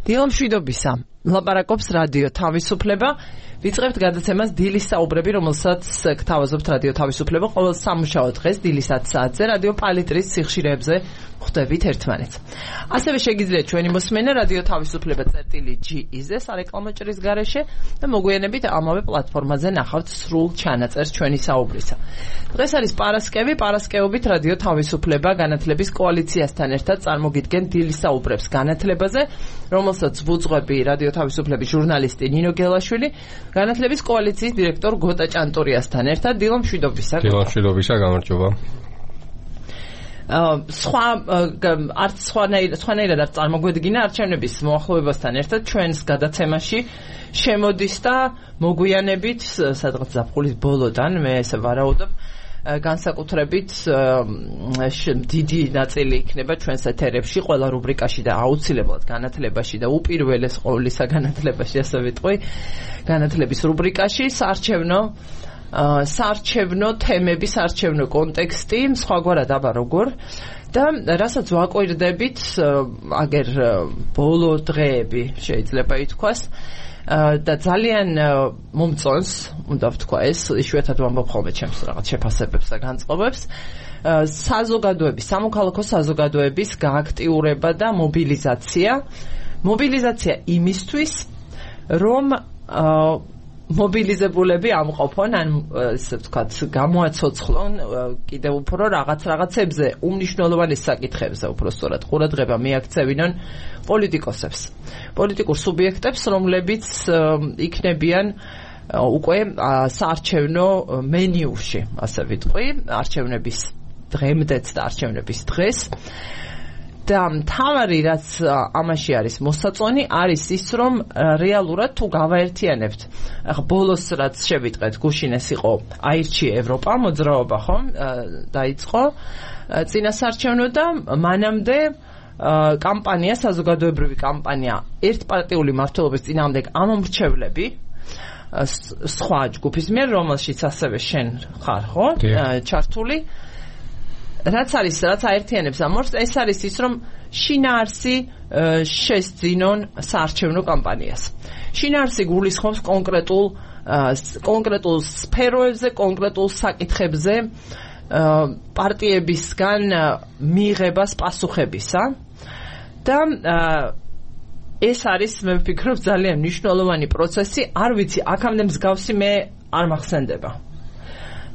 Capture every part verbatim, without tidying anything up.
დილო მშვიდობისა. ლაპარაკობს რადიო თავისუფლება. ვიწყებთ გადაცემას დილის საუბრები, რომელსაც გთავაზობთ რადიო თავისუფლება ყოველ სამუშაო დღეს დილის ათი საათზე რადიო პალიტრის სიხშირეებზე ხვდებით ერთმანეთს. ასევე შეგიძლიათ ჩვენი მოსმენა რადიო თავისუფლება წერტილი ჯი-ზე სარეკლამო ჭრის გარეშე და მოგვიანებით ამავე პლატფორმაზე ნახავთ სრულ ჩანაწერს ჩვენი საუბრისა. დღეს არის პარასკევი, პარასკევობით რადიო თავისუფლება განათლების კოალიციასთან ერთად წარმოგიდგენ დილის საუბრებს განათლებაზე, რომელსაც ვუძღვები რადიო თავისუფლების ჟურნალისტი ნინო გელაშვილი, განათლების კოალიციის დირექტორ გოტა ჭანტურიასთან ერთად. დილო მშვიდობისა. დილო მშვიდობისა, გამარჯობა. სხვა არც სხვანაირად არ წარმოგვედგინა არჩევნების მოახლოებასთან ერთად ჩვენს გადაცემაში შემოდის და მოგვიანებით სადღაც ზაფხულის ბოლოდან მე ესე ვარაუდობ განსაკუთრებით დიდი ნაწილი იქნება ჩვენს ეთერებში ყველა რუბრიკაში და აუცილებლად განათლებაში და უპირველეს ყოვლისა განათლებაში ასე ვიტყვი განათლების რუბრიკაში საარჩევნო საარჩევნო თემები, საარჩევნო კონტექსტი, სხვაგვარად აბა როგორ და რასაც ვაკვირდებით, აგერ ბოლო დღეები შეიძლება ითქვას და ძალიან მომწონს, უნდა ვთქვა ეს, იშვიათად ვამბობ ხოლმე ჩემს რაღაც შეფასებებს და განწყობებს, საზოგადოების, სამოქალაქო საზოგადოების გააქტიურება და მობილიზაცია, მობილიზაცია იმისთვის, რომ მობილიზებულები ამყოფონ, ან ესე ვთქვათ, გამოაცოცხლონ კიდევ უფრო რაღაც რაღაცებზე, უმნიშვნელოვანეს საკითხებზე, უფრო სწორად, ყურადღება მიაქცევინონ პოლიტიკოსებს. პოლიტიკურ სუბიექტებს, რომლებიც იქნებიან უკვე საარჩევნო მენიუში, ასე ვიტყვი, არჩევნების დღემდეც და არჩევნების დღეს. და მთავარი რაც ამაში არის მოსაწონი არის ის რომ რეალურად თუ გავაერთიანებთ ახლა ბოლოს რაც შევიტყეთ გუშინეს იყო აირჩიე ევროპა მოძრაობა ხომ დაიწყო წინასაარჩევნო და მანამდე კამპანია საზოგადოებრივი კამპანია ერთპარტიული მმართველობის წინააღმდეგ ამომრჩევლები სხვა ჯგუფის მიერ რომელშიც ასევე შენ ხარ ხო ჩართული რაც არის, რაც აერთიანებს ამორს, ეს არის ის, რომ შინაარსი შესძინონ საარჩევნო კამპანიას. შინაარსი გულისხმობს კონკრეტულ კონკრეტულ სფეროებზე, კონკრეტულ საკითხებზე პარტიებისგან მიიღებას პასუხებისა და ეს არის, მე ვფიქრობ, ძალიან მნიშვნელოვანი პროცესი. არ ვიცი, აქამდე მსგავსი მე არ მახსენდება.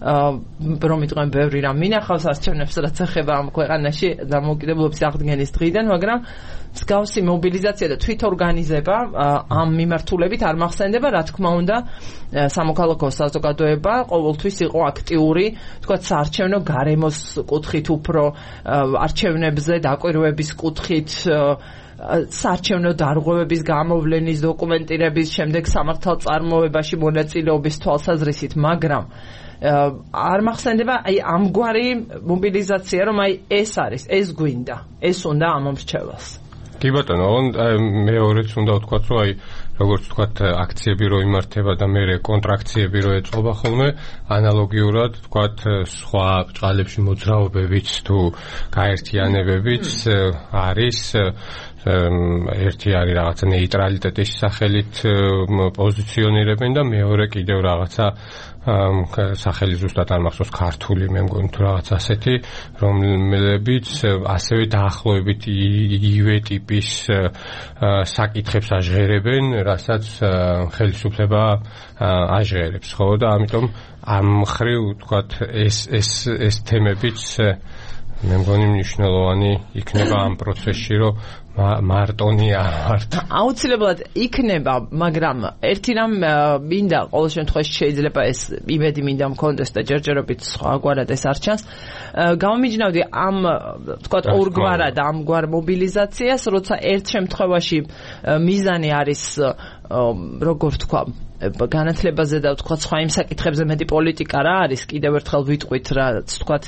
რომ იტყვენ ბევრი რამ მინახავს არჩევნებს რაც ეხება ამ ქვეყანაში დამოუკიდებლობის აღდგენის დღიდან, მაგრამ მსგავსი მობილიზაცია და თვითორგანიზება ამ მიმართულებით არ მახსენდება, რა თქმა უნდა, სამოქალაქო საზოგადოება ყოველთვის იყო აქტიური, თქვათ, საარჩევნო გარემოს კუთხით უფრო არჩევნებზე დაკვირვების კუთხით საარჩევნო დარღვევების გამოვლენის დოკუმენტირების შემდეგ სამართალწარმოებაში მონაწილეობის თვალსაზრისით, მაგრამ არ მახსენდება აი ამგვარი მობილიზაცია რომ აი ეს არის ეს გვინდა ეს უნდა ამომრჩევლს კი ბატონო მეორეც უნდა ვთქვათ რომ აი როგორც ვთქვათ აქციები რო იმართება და მე კონტრაქციები რო ეწყობა ხოლმე ანალოგიურად ვთქვათ სხვა ბჭყალებში მოძრაობებიც თუ გაერთიანებებიც არის ერთი არის რაღაცა ნეიტრალიტეტის სახელით პოზიციონირებენ და მეორე კიდევ რაღაცა სახელი ზუსტად არ მახსოვს ქართული მე მგონი თუ რაღაც ასეთი რომლებიც ასევე დაახლოებით იგივე ტიპის საკითხებს აჟღერებენ რასაც ხელისუფლება აჟღერებს ხო და ამიტომ ამ მხრივ ვთქვათ ეს ეს ეს თემებიც მე მგონი მნიშვნელოვანი იქნება ამ პროცესში რომ მარტონი არ ვართ. აუცილებლად იქნება, მაგრამ ერთი რამ მინდა ყოველ შემთხვევაში შეიძლება ეს იმედი მინდა მქონდეს და ჯერჯერობით სხვაგვარად ეს არ ჩანს. გამომიჯნავდი ამ თქვათ ორგვარად ამგვარ მობილიზაციას, როცა ერთ შემთხვევაში მიზანი არის როგორ ვთქვა განათლებაზე და ვთქვათ სხვა იმ საკითხებზე მეტი პოლიტიკა რა არის კიდევ ერთხელ ვიტყვით რაც ვთქვათ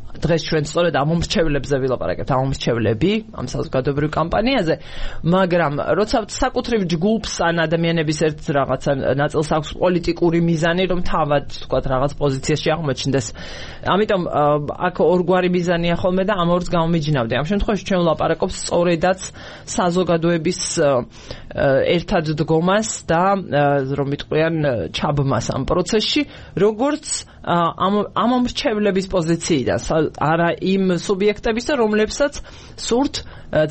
დღეს ჩვენ სწორედ ამ მომრჩევლებზე ვილაპარაკებთ, ამ მომრჩევლები, ამ საზოგადოებრივ კამპანიაზე, მაგრამ როცა საკუთრივ ჯგუფს ან ადამიანების ერთ რაღაცა ნაწილს აქვს პოლიტიკური მიზანი, რომ თავად თქვათ რაღაც პოზიციაში აღმოჩნდეს. ამიტომ აქ ორგვარი მიზანია ხოლმე და ამ ორს გამომიჯნავდი. ამ შემთხვევაში ჩვენ ვლაპარაკობთ სწორედაც საზოგადოების ერთად დგომას და რომ ვიტყვიან ჩაბმას ამ პროცესში, როგორც ამ ამ მომრჩევლების პოზიციიდან, არა იმ სუბიექტებისა, რომლებსაც სურთ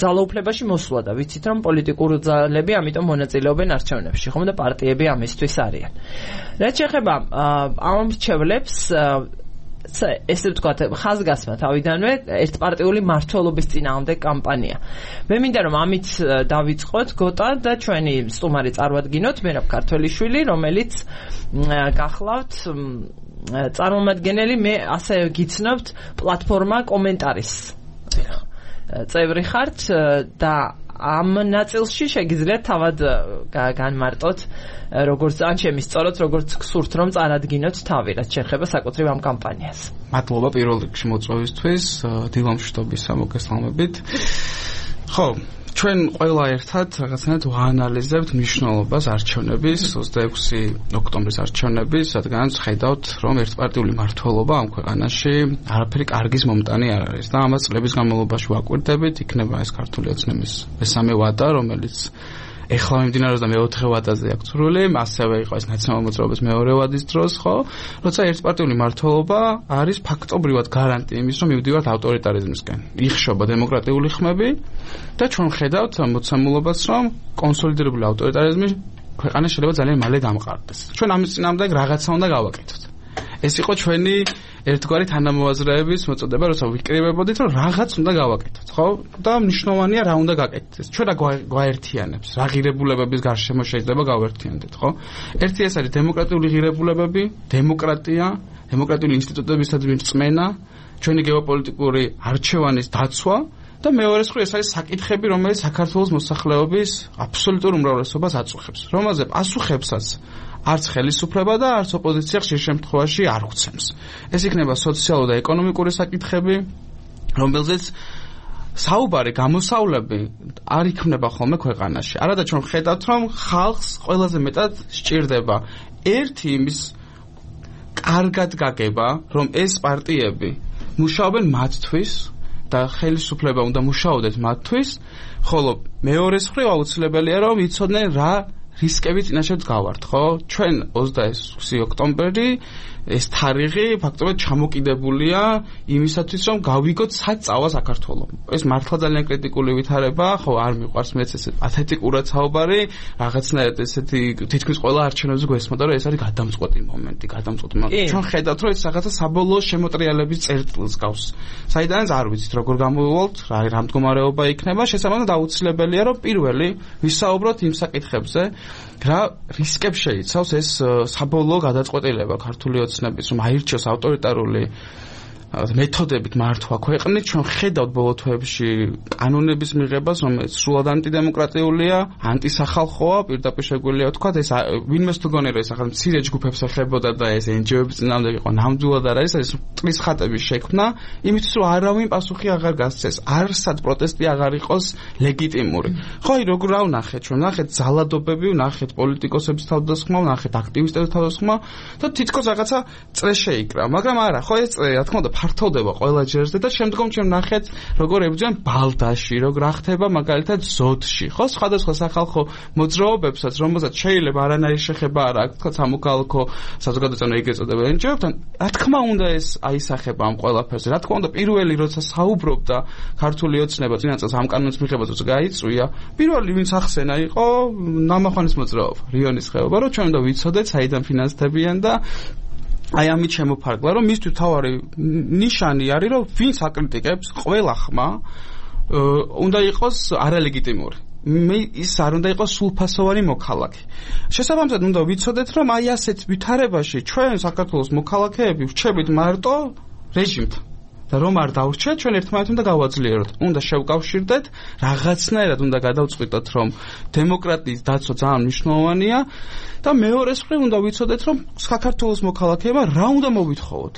ძალაუფლებაში მოსვლა და ვიცით რომ პოლიტიკური ძალები ამიტომ მონაწილეობენ არჩევნებში, ხომ და პარტიები ამისთვის არიან. რაც შეეხება ამ მომრჩევლებს, ესე ვთქვათ, ხაზგასმა თავიდანვე ერთპარტიული მმართველობის წინააღმდეგ კამპანია. მე მინდა რომ ამით დავიწყოთ გოტა და ჩვენი სტუმარი წარმოვადგინოთ, მერაბ ქართველიშვილი, რომელიც გახლავთ წარმომადგენელი, მე ასე გიცნობთ პლატფორმა კომენტარის წევრი ხართ და ამ ნაწილში შეგიძლიათ თავად განმარტოთ, როგორც ან შემისწოროთ, როგორც გსურთ რომ წარადგინოთ თავი, რაც შეეხება საკუთრივ ამ კამპანიას. მადლობა პირველ რიგში მოწვევისთვის, დილამშვიდობისა მოგესალმებით. ხო, ჩვენ ყველა ერთად რაღაცნაირად ვაანალიზებთ მნიშვნელობას არჩევნების, ოცდაექვსი ოქტომბრის არჩევნების, რადგანაც ხედავთ, რომ ერთპარტიული მმართველობა ამ ქვეყანაში არაფერი კარგის მომტანი არ არის და ამას წლების განმავლობაში ვაკვირდებით, იქნება ეს ქართული ოცნების მესამე ვადა, რომელიც ეხლა მიმდინარეობს და მეოთხე ვადაზე აქვს სრული, ასევე იყო ეს ნაციონალურ მოძრაობის მეორე ვადის დროს, ხო? როცა ერთპარტიული მმართველობა არის ფაქტობრივად გარანტი იმის, რომ მივდივართ ავტორიტარიზმისკენ. იხშობა დემოკრატიული ხმები და ჩვენ ხედავთ მოცემულობას, რომ კონსოლიდირებული ავტორიტარიზმი ქვეყანაში შეიძლება ძალიან მალე დამყარდეს. ჩვენ ამის წინააღმდეგ რაღაცა უნდა გავაკეთოთ. ეს იყო ჩვენი ერთგვარი თანამოაზრეების მოწოდება, როცა ვიკრიბებოდით, რომ რაღაც უნდა გავაკეთოთ, ხო? და მნიშვნელოვანია რა უნდა გაკეთდეს. ჩვენ რა გვაერთიანებს, რა ღირებულებების გარშემო შეიძლება გავერთიანდეთ, ხო? ერთი ეს არის დემოკრატიული ღირებულებები, დემოკრატია, დემოკრატიული ინსტიტუტებისადმი რწმენა, ჩვენი გეოპოლიტიკური არჩევანის დაცვა და მეორე მხრივ ეს არის საკითხები, რომელიც საქართველოს მოსახლეობის აბსოლუტურ უმრავლესობას აწუხებს, რომელზე პასუხებსაც არც ხელისუფლება და არც ოპოზიცია ხშირ შემთხვევაში არ ხვცემს. ეს იქნება სოციალური და ეკონომიკური საკითხები, რომელზეც საუბარი, გამოსავლები არ იქმნება ხოლმე ქვეყანაში. არადა ჩვენ ხედავთ, რომ ხალხს ყველაზე მეტად სჭირდება ერთი იმის კარგად გაგება, რომ ეს პარტიები მუშაობენ მათთვის და ხელისუფლება უნდა მუშაობდეს მათთვის, ხოლო მეორე მხრივ აუცილებელია რომ იცოდნენ რა რისკები წინაშე გავართ, ხო? ჩვენ ოცდაექვსი ოქტომბერი ეს თარიღი ფაქტობრივად ჩამოკიდებულია იმისათვის, რომ გავიგოთ სად წავა საქართველო. ეს მართლა ძალიან კრიტიკული ვითარება, ხო, არ მიყვარს მეც ესე პათეტიკურად საუბარი, რაღაცნაირად ესეთი თითქმის ყველა არჩევნებზე გვესმოდა, რომ ეს არის გადამწყვეტი მომენტი, გადამწყვეტი მომენტი. ჩვენ ხედავთ, რომ ეს რაღაცა საბოლოო შემოტრიალების წერტილს გავს. საიდანაც არ ვიცით, როგორ გამოვივალთ, რა რა მდგომარეობა იქნება, შესაბამისად აუცილებელია, რომ პირველი ვისაუბროთ იმ საკითხებზე, რა რისკებს შეიცავს ეს საბოლოო გადაწყვეტილება ქართული ოცნების, რომ აირჩიოს ავტორიტარული მეთოდებით მართვა ქვეყნით. ჩვენ ხედავთ ბოლო თვეებში კანონების მიღებას, რომელიც სრულად ანტიდემოკრატიულია, ანტისახალხოა, პირდაპირ შეგვიძლია ვთქვათ, ეს ვინმეს თუ გონია, რომ ეს ახლა მცირე ჯგუფებს ეხებოდა და ეს εν ჯი ო-ების წინააღმდეგ იყო, ნამდვილად არ არის, ეს მტრის ხატების შექმნა, იმისთვის რომ არავინ პასუხი აღარ გასცეს, არსად პროტესტი აღარ იყოს ლეგიტიმური. ხო, აი როგორ რა ვნახეთ, ჩვენ ვნახეთ ძალადობები, ვნახეთ პოლიტიკოსების თავდასხმა, ვნახეთ აქტივისტების თავდასხმა და თითქოს რაღაცა წრე შეიკრა, მაგრამ არა, ხო ეს წრე, რა თქმა უნდა ფართოვდება ყველა ჯერზე და შემდგომ ჩვენ ვნახეთ როგორ ებრძვიან ბალდაში, როგორ ახდება მაგალითად ზოდში, ხო, სხვადასხვა სახალხო მოძრაობებსაც, რომელსაც შეიძლება არანაირი შეხება არ აქვს, თქვა სამოქალაქო საზოგადოებასთან ეგრეთ წოდებულ εν ჯი ო-ებთან, რა თქმა უნდა ეს აისახება ამ ყველაფერზე. რა თქმა უნდა პირველი როცა საუბრობდა ქართული ოცნება წინა წელს ამ კანონის მიღებას როცა გაიწვია, პირველი ვინც ახსენა იყო ნამახვანის მოძრაობა, რიონის ხეობა, რომ ჩვენ უნდა ვიცოდეთ საიდან ფინანსდებიან და აი ამით შემოფარგლა, რომ მისთვის თავარი ნიშანი არის, რომ ვინც აკრიტიკებს ყველა ხმა უნდა იყოს არალეგიტიმური. მე ის არ უნდა იყოს სულფასოვანი მოქალაქე. შესაბამისად უნდა ვიცოდეთ, რომ აი ასეთ ვითარებაში ჩვენ საქართველოს მოქალაქეები ვრჩებით მარტო რეჟიმთან. და რომ არ დავრჩეთ, ჩვენ ერთმანეთს უნდა გავაძლიეროთ. უნდა შევკავშირდეთ, რაღაცნაირად უნდა გადავწყვიტოთ, რომ დემოკრატიის დაცვა ძალიან მნიშვნელოვანია და მეორეს მხრივ უნდა ვიცოდეთ, რომ საქართველოს მოქალაქეებმა რა უნდა მოვითხოვოთ.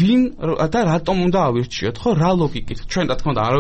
ვინ და რატომ უნდა ავირჩიოთ, ხო, რა ლოგიკით. ჩვენ რა თქმა უნდა არ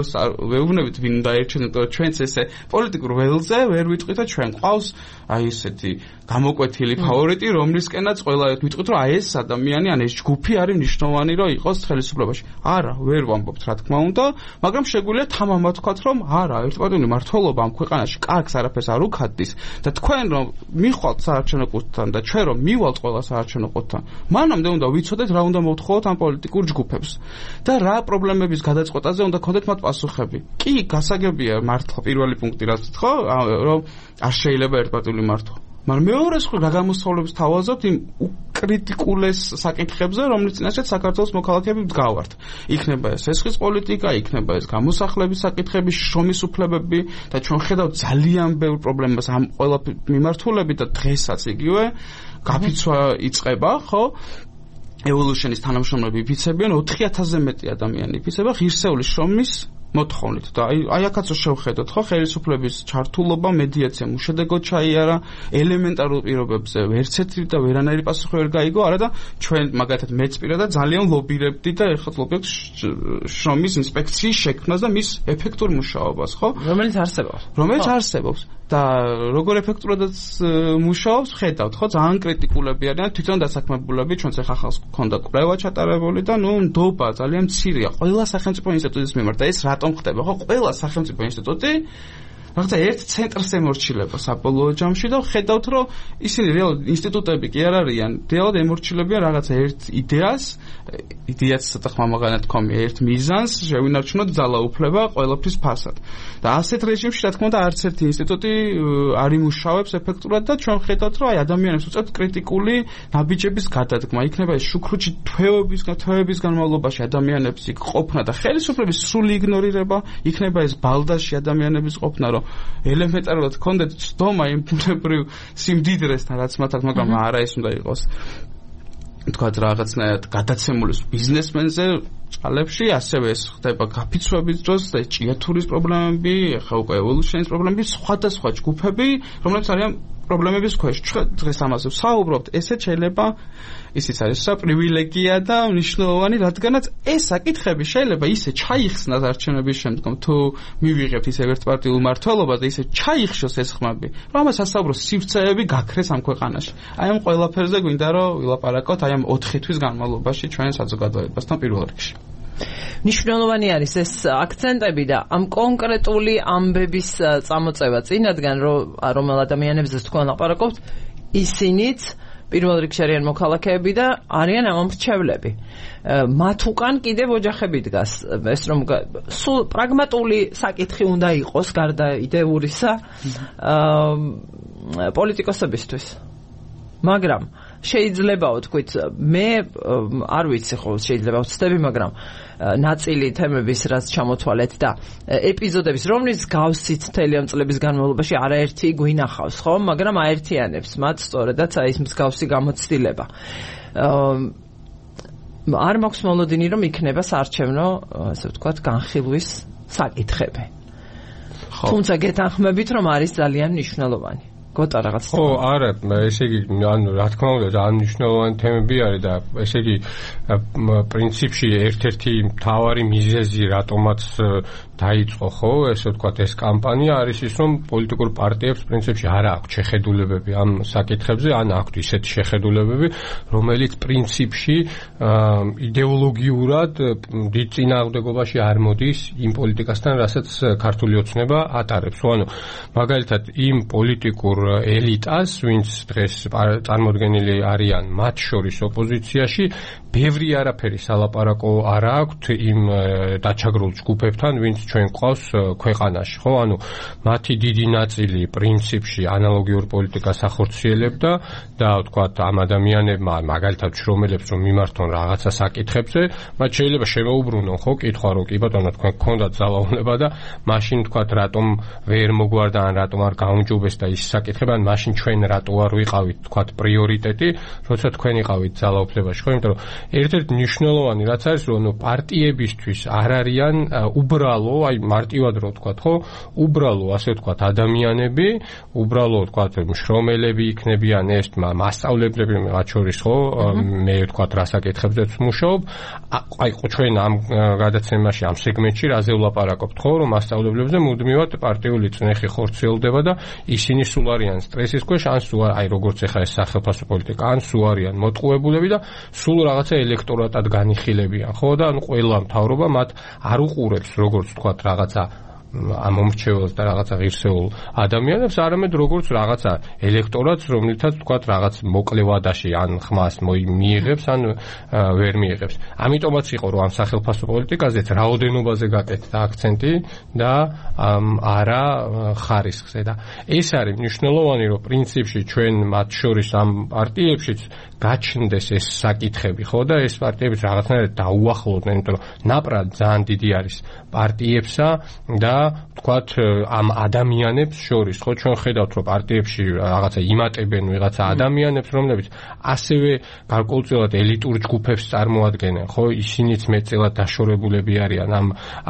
ვეუბნებით ვინ უნდა აირჩიოთ, ჩვენც ესე პოლიტიკურ ველზე ვერ ვიტყვით და ჩვენ ყავს აი ესეთი გამოკვეთილი ფავორიტი, რომლისკენაც ყველა ვიტყვით, რომ აი ეს ადამიანი ან ეს ჯგუფი არის მნიშვნელოვანი, რომ იყოს ხელისუფლებაში. არა, ვერ ვამბობთ, რა თქმა უნდა, მაგრამ შეგვიძლია თამამად ვთქვათ, რომ არა, ერთპარტიული მმართველობა ამ ქვეყანაში კარგს არაფერს არ უქადდის და თქვენ რომ მიხვალთ საარჩევნო ყუთთან და ჩვენ რომ მივალთ ყველა საარჩევნო ყუთთან, მანამდე უნდა ვიცოდეთ რა უნდა მოვთხოვოთ ამ პოლიტიკურ ჯგუფებს და რა პრობლემების გადაწყვეტაზე უნდა გქონდეთ მათ პასუხები. კი, გასაგებია მართლა პირველი პუნქტი რაც ხო, რომ არ შეიძლება ერთპარტიული მართვა. მაგრამ მეორე მხრივ რა გამოსწავლებს თავაზობთ იმ უკრიტიკულეს საკითხებზე, რომლის წინაშე საქართველოს მოქალაქეები მდგავართ. იქნება ეს ესხის პოლიტიკა, იქნება ეს გამოსახლების საკითხები, შრომის უფლებები და ჩვენ ხედავთ ძალიან ბევრ პრობლემას ამ ყველა მიმართულებით და დღესაც იგივე გაფიცვა იწყება, ხო? Evolution-ის თანამშრომლები იფიცებიან ოთხი ათასზე მეტი ადამიანი იფიცება ღირსეული შრომის მოთხოვნით და აი აი აქაც შევხედოთ ხო ხელისუფლების ჩართულობა მედიაცია უშედეგოდ ჩაიარა ელემენტარულ პირობებზე ვერც ერთი და ვერანაირი პასუხი ვერ გაიგო არა და ჩვენ მაგათად მეც პირადად ძალიან ლობირებდი და ერთხელ ლობირებთ შრომის ინსპექციის შექმნას და მის ეფექტურ მუშაობას ხო რომელიც არსებობს რომელიც არსებობს და როგორ ეფექტურადაც მუშაობს ხედავთ ხო ძალიან კრიტიკულები არიან თვითონ დასაქმებულები ჩვენც ახლა ხალხს გქონდა კვლევა ჩატარებული და ნუ ნდობა ძალიან მცირეა ყველა სახელმწიფო ინსტიტუტის მიმართ და ეს რატომ ხდება ხო ყველა სახელმწიფო ინსტიტუტი რაღაცა ერთ ცენტრს ემორჩილება საბოლოო ჯამში და ხედავთ რომ ისინი რეალურად ინსტიტუტები კი არ არიან რეალურად ემორჩილებიან რაღაცა ერთ იდეას იდეაც ცოტა ხმამაღანად თქვამი ერთ მიზანს შევინარჩუნოთ ძალაუფლება ყველაფრის ფასად და ასეთ რეჟიმში რა თქმა უნდა არც ერთი ინსტიტუტი არ იმუშავებს ეფექტურად და ჩვენ ხედავთ რომ აი ადამიანებს უწევთ კრიტიკული ნაბიჯების გადადგმა იქნება ეს შუქრუჩი თვეების თვეების განმავლობაში ადამიანებს იქ ყოფნა და ხელისუფლების სრული იგნორირება იქნება ეს ბალდაში ადამიანების ყოფნა რომ ელემენტარულად კონდეთ ცდომა იმ ბუნებრივ სიმდიდრესთან რაც მათ აქვს მაგრამ არა ეს უნდა იყოს თქვათ რაღაცნაირად გადაცემული ბიზნესმენზე წყალებში ასევე ეს ხდება გაფიცვების დროს და ჭიათურის პრობლემები ახლა უკვე evolution-ის პრობლემები სხვადასხვა ჯგუფები რომლებიც არიან პრობლემების ქვეშ ჩვენ დღეს ამაზე ვსაუბრობთ ესეც შეიძლება ისიც არის საპრივილეგია და მნიშვნელოვანი რადგანაც ეს საკითხები შეიძლება ისე ჩაიხსნას არჩევნების შემდგომ თუ მივიღებთ ისე ერთპარტიულ მმართველობას და ისე ჩაიხშოს ეს ხმები რომ ამას ასაუბრო სივრცეები გაქრეს ამ ქვეყანაში აი ამ ყველაფერზე გვინდა რომ ვილაპარაკოთ აი ამ ოთხი თვის განმავლობაში ჩვენ საზოგადოებასთან პირველ რიგში მნიშვნელოვანი არის ეს აქცენტები და ამ კონკრეტული ამბების წამოწევა წინადგან რომ ადამიანებზე თქვენ ლაპარაკობთ ისინიც პირველ რიგში არიან მოქალაქეები და არიან ამომრჩევლები მათ უკან კიდევ ოჯახები დგას ეს რომ სულ პრაგმატული საკითხი უნდა იყოს გარდა იდეურისა პოლიტიკოსებისთვის მაგრამ შეიძლებაო თქვით მე არ ვიცი ხო შეიძლება ვცდები მაგრამ ნაწილი თემების რაც ჩამოთვალეთ და ეპიზოდების რომლის გავსით მთელი ამ წლების განმავლობაში არაერთი გვინახავს ხო მაგრამ აერთიანებს მათ სწორედაც აი ეს მსგავსი გამოცდილება არ მაქვს მოლოდინი რომ იქნება საარჩევნო ასე ვთქვათ განხილვის საკითხები თუმცა გეთანხმებით რომ არის ძალიან მნიშვნელოვანი გოტა რაღაც ხო არა ესე იგი ანუ რა თქმა უნდა ძალიან მნიშვნელოვანი თემები არის და ესე იგი პრინციპში ერთ-ერთი მთავარი მიზეზი რატომაც დაიწყო ხო ესე ვთქვათ ეს კამპანია არის ის რომ პოლიტიკურ პარტიებს პრინციპში არ აქვს შეხედულებები ამ საკითხებზე ან აქვს ისეთი შეხედულებები რომელიც პრინციპში იდეოლოგიურად დიდ წინააღმდეგობაში არ მოდის იმ პოლიტიკასთან რასაც ქართული ოცნება ატარებს ანუ მაგალითად იმ პოლიტიკურ ელიტას, ვინც დღეს წარმოდგენილი არიან მათ შორის ოპოზიციაში, ბევრი არაფერი სალაპარაკო არ აქვთ იმ დაჩაგრულ ჯგუფებთან, ვინც ჩვენ ყავს ქვეყანაში, ხო? ანუ მათი დიდი ნაწილი პრინციპში ანალოგიურ პოლიტიკას ახორციელებდა და ვთქვათ ამ ადამიანებმა მაგალითად შრომელებს რომ მიმართონ რაღაცა საკითხებზე, მათ შეიძლება შემოუბრუნონ ხო კითხვა რომ კი ბატონო თქვენ გქონდათ ძალაუფლება და მაშინ ვთქვათ რატომ ვერ მოგვარდა ან რატომ არ გაუმჯობეს და ის საკითხი ეკითხება, ან მაშინ ჩვენ რატო არ ვიყავით თქვათ პრიორიტეტი, როცა თქვენ იყავით ძალაუფლებაში, ხო? იმიტომ რომ ერთ-ერთი მნიშვნელოვანი რაც არის, რომ ნუ პარტიებისთვის არ არიან უბრალო, აი მარტივად რო ვთქვათ, ხო? უბრალო, ასე ვთქვათ, ადამიანები, უბრალო ვთქვათ, მშრომელები იქნებიან ეს მასწავლებლები მათ შორის, ხო? მე ვთქვათ, რასაკითხებზეც ვმუშაობ. აი ჩვენ ამ გადაცემაში, ამ სეგმენტში რაზე ვლაპარაკობთ, ხო? რომ მასწავლებლებზე მუდმივად პარტიული წნეხი ხორციელდება და ისინი სულ არიან სტრესის ქვეშ, ან სულ აი როგორც ეხა ეს სახელმწიფო პოლიტიკა, ან სულ არიან მოტყუებულები და სულ რაღაცა ელექტორატად განიხილებიან, ხო? და ანუ ყველა მთავრობა მათ არ უყურებს, როგორც ვთქვათ, რაღაცა ამ მომრჩეველს და რაღაცა ღირსეულ ადამიანებს, არამედ როგორც რაღაცა ელექტორატს, რომლითაც თქვათ რაღაც მოკლევადაში ან ხმას მიიღებს, ან ვერ მიიღებს. ამიტომაც იყო, რომ ამ სახელმწიფო პოლიტიკაზეც რაოდენობაზე გაკეთდა აქცენტი და არა ხარისხზე და ეს არის მნიშვნელოვანი, რომ პრინციპში ჩვენ მათ შორის ამ პარტიებშიც გაჩნდეს ეს საკითხები, ხო და ეს პარტიებიც რაღაცნაირად დაუახლოვდნენ, იმიტომ რომ ნაპრად ძალიან დიდი არის პარტიებსა და თქვათ ამ ადამიანებს შორის, ხო ჩვენ ხედავთ, რომ პარტიებში რაღაცა იმატებენ ვიღაცა ადამიანებს, რომლებიც ასევე გარკვეულწილად ელიტურ ჯგუფებს წარმოადგენენ, ხო ისინიც მეტწილად დაშორებულები არიან ამ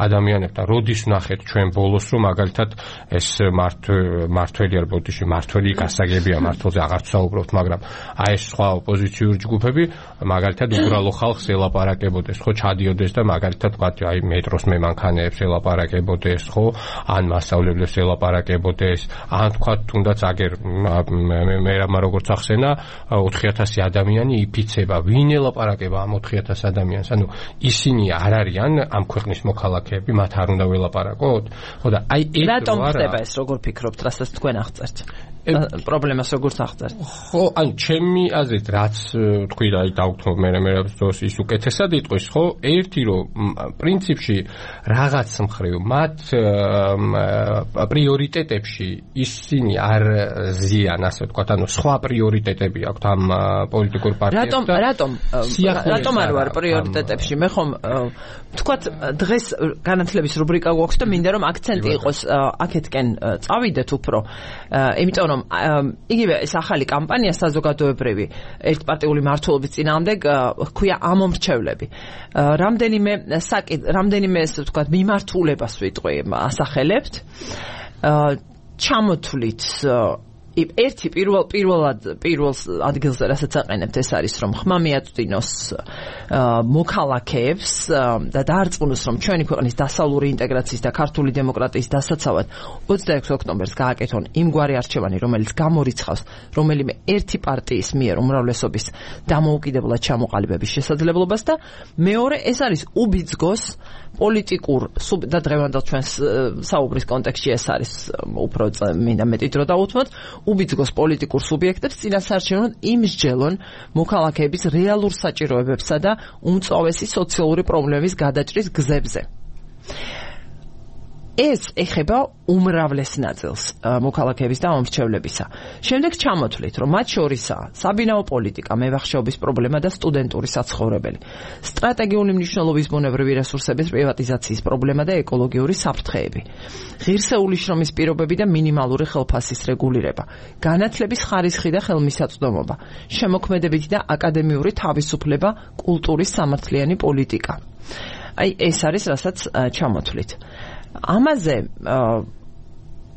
ადამიანებთან. როდის ვნახეთ ჩვენ ბოლოს, რომ მაგალითად ეს მართველი არ ბოდიში მართველი გასაგებია, მართლზე აღარ ვსაუბრობთ, მაგრამ აი ეს სხვა ოპოზიციური ჯგუფები მაგალითად უბრალო ხალხს ელაპარაკებოდეს, ხო ჩადიოდეს და მაგალითად ვთქვათ, აი მეტროს მემანქანეებს ელაპარაკებოდეს, ხო ან მასწავლებლებს ელაპარაკებოდეს, ან თქვათ თუნდაც აგერ მე რა როგორც ახსენა ოთხი ათასი ადამიანი იფიცება, ვინ ელაპარაკება ამ ოთხი ათას ადამიანს? ანუ ისინი არ არიან ამ ქვეყნის მოქალაქეები, მათ არ უნდა ველაპარაკოთ? ხო და აი ეს რატომ ხდება ეს, როგორ ფიქრობთ, რასაც თქვენ აღწერთ? პრობლემას როგორც აღწერთ? ხო, ანუ ჩემი აზრით, რაც თქვი და აი დავთვალ მე მე ის უკეთესად იტყვის, ხო? ერთი რომ პრინციპში რაღაც მხრივ მათ პრიორიტეტებში ისინი არ ზიან, ასე ვთქვათ, ანუ სხვა პრიორიტეტები აქვთ ამ პოლიტიკურ პარტიებს. რატომ რატომ რატომ არ ვარ პრიორიტეტებში? მე ხომ ვთქვათ, დღეს განათლების რუბრიკა გვაქვს და მინდა რომ აქცენტი იყოს აქეთკენ წავიდეთ უფრო. იმიტომ რომ იგივე ეს ახალი კამპანია საზოგადოებრივი ერთპარტიული მმართველობის წინააღმდეგ ჰქვია ამომრჩევლები. რამდენიმე საკითხ, რამდენიმე ესე ვთქვათ, მიმართულებას ვიტყვი ასახელებთ. ჩამოთვლით ერთი პირველ პირველად პირველ ადგილზე რასაც აყენებთ ეს არის რომ ხმა მიაწვდინოს მოქალაქეებს და დაარწმუნოს რომ ჩვენი ქვეყნის დასავლური ინტეგრაციის და ქართული დემოკრატიის დასაცავად ოცდაექვსი ოქტომბერს გააკეთონ იმგვარი არჩევანი რომელიც გამორიცხავს რომელიმე ერთი პარტიის მიერ უმრავლესობის დამოუკიდებლად ჩამოყალიბების შესაძლებლობას და მეორე ეს არის უბიძგოს პოლიტიკურ და დღევანდელ ჩვენს საუბრის კონტექსტში ეს არის უფრო მინდა მეტი დრო დავუთმოთ უბიძგოს პოლიტიკურ სუბიექტებს წინასაარჩევნოდ იმსჯელონ მოქალაქეების რეალურ საჭიროებებსა და უმწვავესი სოციალური პრობლემების გადაჭრის გზებზე. ეს ეხება უმრავლეს ნაწილს მოქალაქეების და მომრჩევლებისა. შემდეგ ჩამოთვლით, რომ მათ შორისაა საბინაო პოლიტიკა, მევახშეობის პრობლემა და სტუდენტური საცხოვრებელი, სტრატეგიული მნიშვნელობის ბუნებრივი რესურსების პრივატიზაციის პრობლემა და ეკოლოგიური საფრთხეები, ღირსეული შრომის პირობები და მინიმალური ხელფასის რეგულირება, განათლების ხარისხი და ხელმისაწვდომობა, შემოქმედებითი და აკადემიური თავისუფლება, კულტურის სამართლიანი პოლიტიკა. აი ეს არის რასაც ჩამოთვლით. ამაზე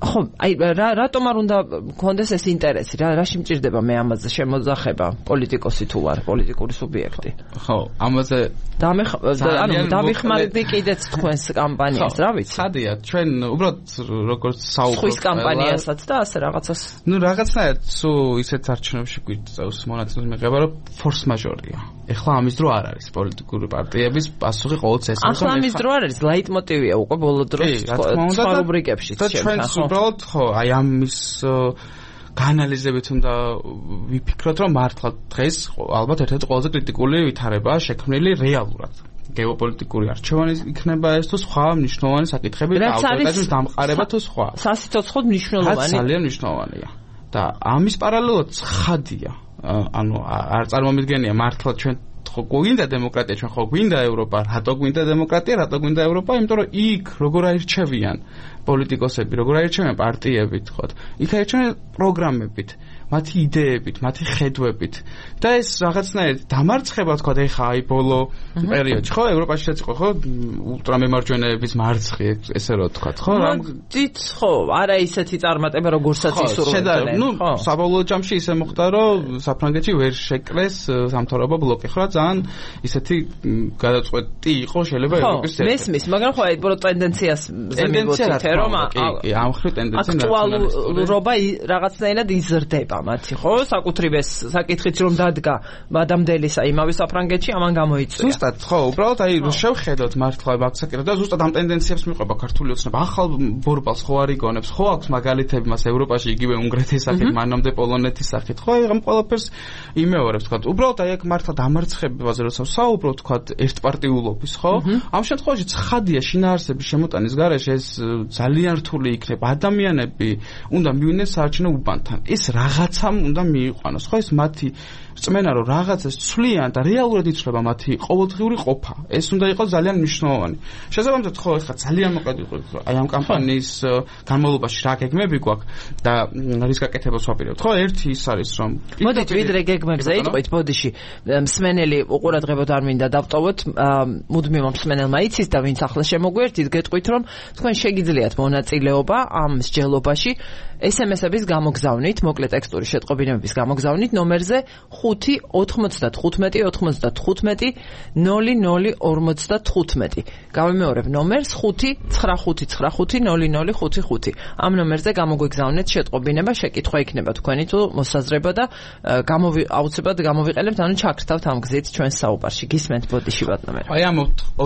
ხო, აი რატომ არ უნდა გქონდეს ეს ინტერესი? რა რაში მჭირდება მე ამაზე შემოძახება პოლიტიკოსი თუ ვარ, პოლიტიკური სუბიექტი? ხო, ამაზე ანუ დავიხმარდი კიდეც თქვენს კამპანიას, რა ვიცი? ხადია, ჩვენ უბრალოდ როგორც საუბრობთ ხვის კამპანიასაც და ასე რაღაცას. ნუ რაღაცნაირად სუ ისეთ არჩევნებში გვიწევს მონაწილეობის მიღება, რომ ფორს მაჟორია. ეხლა ამის დრო არ არის პოლიტიკური პარტიების პასუხი ყოველთვის ეს ახლა ამის დრო არ არის, ლაიტმოტივია უკვე ბოლო დროს სხვა რუბრიკებშიც ჩვენ უბრალოდ ხო აი ამის გაანალიზებით უნდა ვიფიქროთ რომ მართლა დღეს ალბათ ერთ-ერთი ყველაზე კრიტიკული ვითარებაა შექმნილი რეალურად გეოპოლიტიკური არჩევანი იქნება ეს თუ სხვა მნიშვნელოვანი საკითხები და ავტორიტეტის დამყარება თუ სხვა სასიცოცხლოდ მნიშვნელოვანი ძალიან მნიშვნელოვანია და ამის პარალელურად ხადია ანუ არ წარმომიდგენია მართლა ჩვენ ხო გვინდა დემოკრატია, ჩვენ ხო გვინდა ევროპა, რატო გვინდა დემოკრატია, რატო გვინდა ევროპა, იმიტომ რომ იქ როგორ აირჩევიან პოლიტიკოსები, როგორ აირჩევიან პარტიებით, ხო? იქ აირჩევიან პროგრამებით, მათი იდეებით, მათი ხედვებით და ეს რაღაცნაირად დამარცხება თქვა ეხა აი ბოლო პერიოდში ხო ევროპაში შეწყო ხო ულტრამემარჯვენეების მარცხი ესე რომ თქვა ხო რამ დით ხო არა ისეთი წარმატება როგორცაც ისურვებდნენ ნუ საბოლოო ჯამში ისე მოხდა რომ საფრანგეთში ვერ შეკრეს სამთავრობო ბლოკი ხო რა ძალიან ისეთი გადაწყვეტი იყო შეიძლება ევროპის ერთ მესმის მაგრამ ხო აი პრო ტენდენციას ზემივოთით რომ ამ ხრი ტენდენცია აქტუალურობა რაღაცნაირად იზრდება მათი ხო საკუთრივეს საკითხიც რომ დადგა მადამდელისა იმავე საფრანგეთში ამან გამოიწვია ზუსტად ხო უბრალოდ აი შევხედოთ მართლა აქ საკითხი და ზუსტად ამ ტენდენციებს მიყვება ქართული ოცნება ახალ ბორბალს ხო არ იგონებს ხო აქვს მაგალითები მას ევროპაში იგივე უნგრეთის სახით მანამდე პოლონეთის სახით ხო აი ამ ყველაფერს იმეორებს თქვა უბრალოდ აი აქ მართლა დამარცხებაზე როცა საუბრობ თქვა ერთპარტიულობის ხო ამ შემთხვევაში ცხადია შინაარსების შემოტანის გარეშე ეს ძალიან რთული იქნება ადამიანები უნდა მივიდნენ საარჩევნო უბანთან ეს რაღაცამ უნდა მიიყვანოს ხო ეს მათი წმენა რომ რაღაცას ცვლიან და რეალურად იცვლება მათი ყოველდღიური ყოფა ეს უნდა იყოს ძალიან მნიშვნელოვანი შესაბამისად ხო ეხლა ძალიან მოკლედ ვიყო აი ამ კამპანიის განმავლობაში რა გეგმები გვაქვს და რის გაკეთებას ვაპირებთ ხო ერთი ის არის რომ მოდით ვიდრე გეგმებზე იტყვით ბოდიში მსმენელი უყურადღებოდ არ მინდა დავტოვოთ მუდმივ მსმენელმა იცის და ვინც ახლა შემოგვერთით გეტყვით რომ თქვენ შეგიძლიათ მონაწილეობა ამ მსჯელობაში ეს ემ ეს-ების გამოგზავნით მოკლე ტექსტური შეტყობინებების გამოგზავნით ნომერზე ხუთი ოცდათხუთმეტი ოცდათხუთმეტი ნული ნული ორმოცდათხუთმეტი გავიმეორებ ნომერს ხუთი ცხრა ხუთი ცხრა ხუთი ნული ნული ხუთი ხუთი ამ ნომერზე გამოგვიგზავნეთ შეტყობინება შეკითხვა იქნება თქვენი თუ მოსაზრება და გამოვი აუცილებლად გამოვიყენებთ ანუ ჩაქრთავთ ამ გზით ჩვენს საუბარში გისმენთ ბოდიში ბატონო აი ამ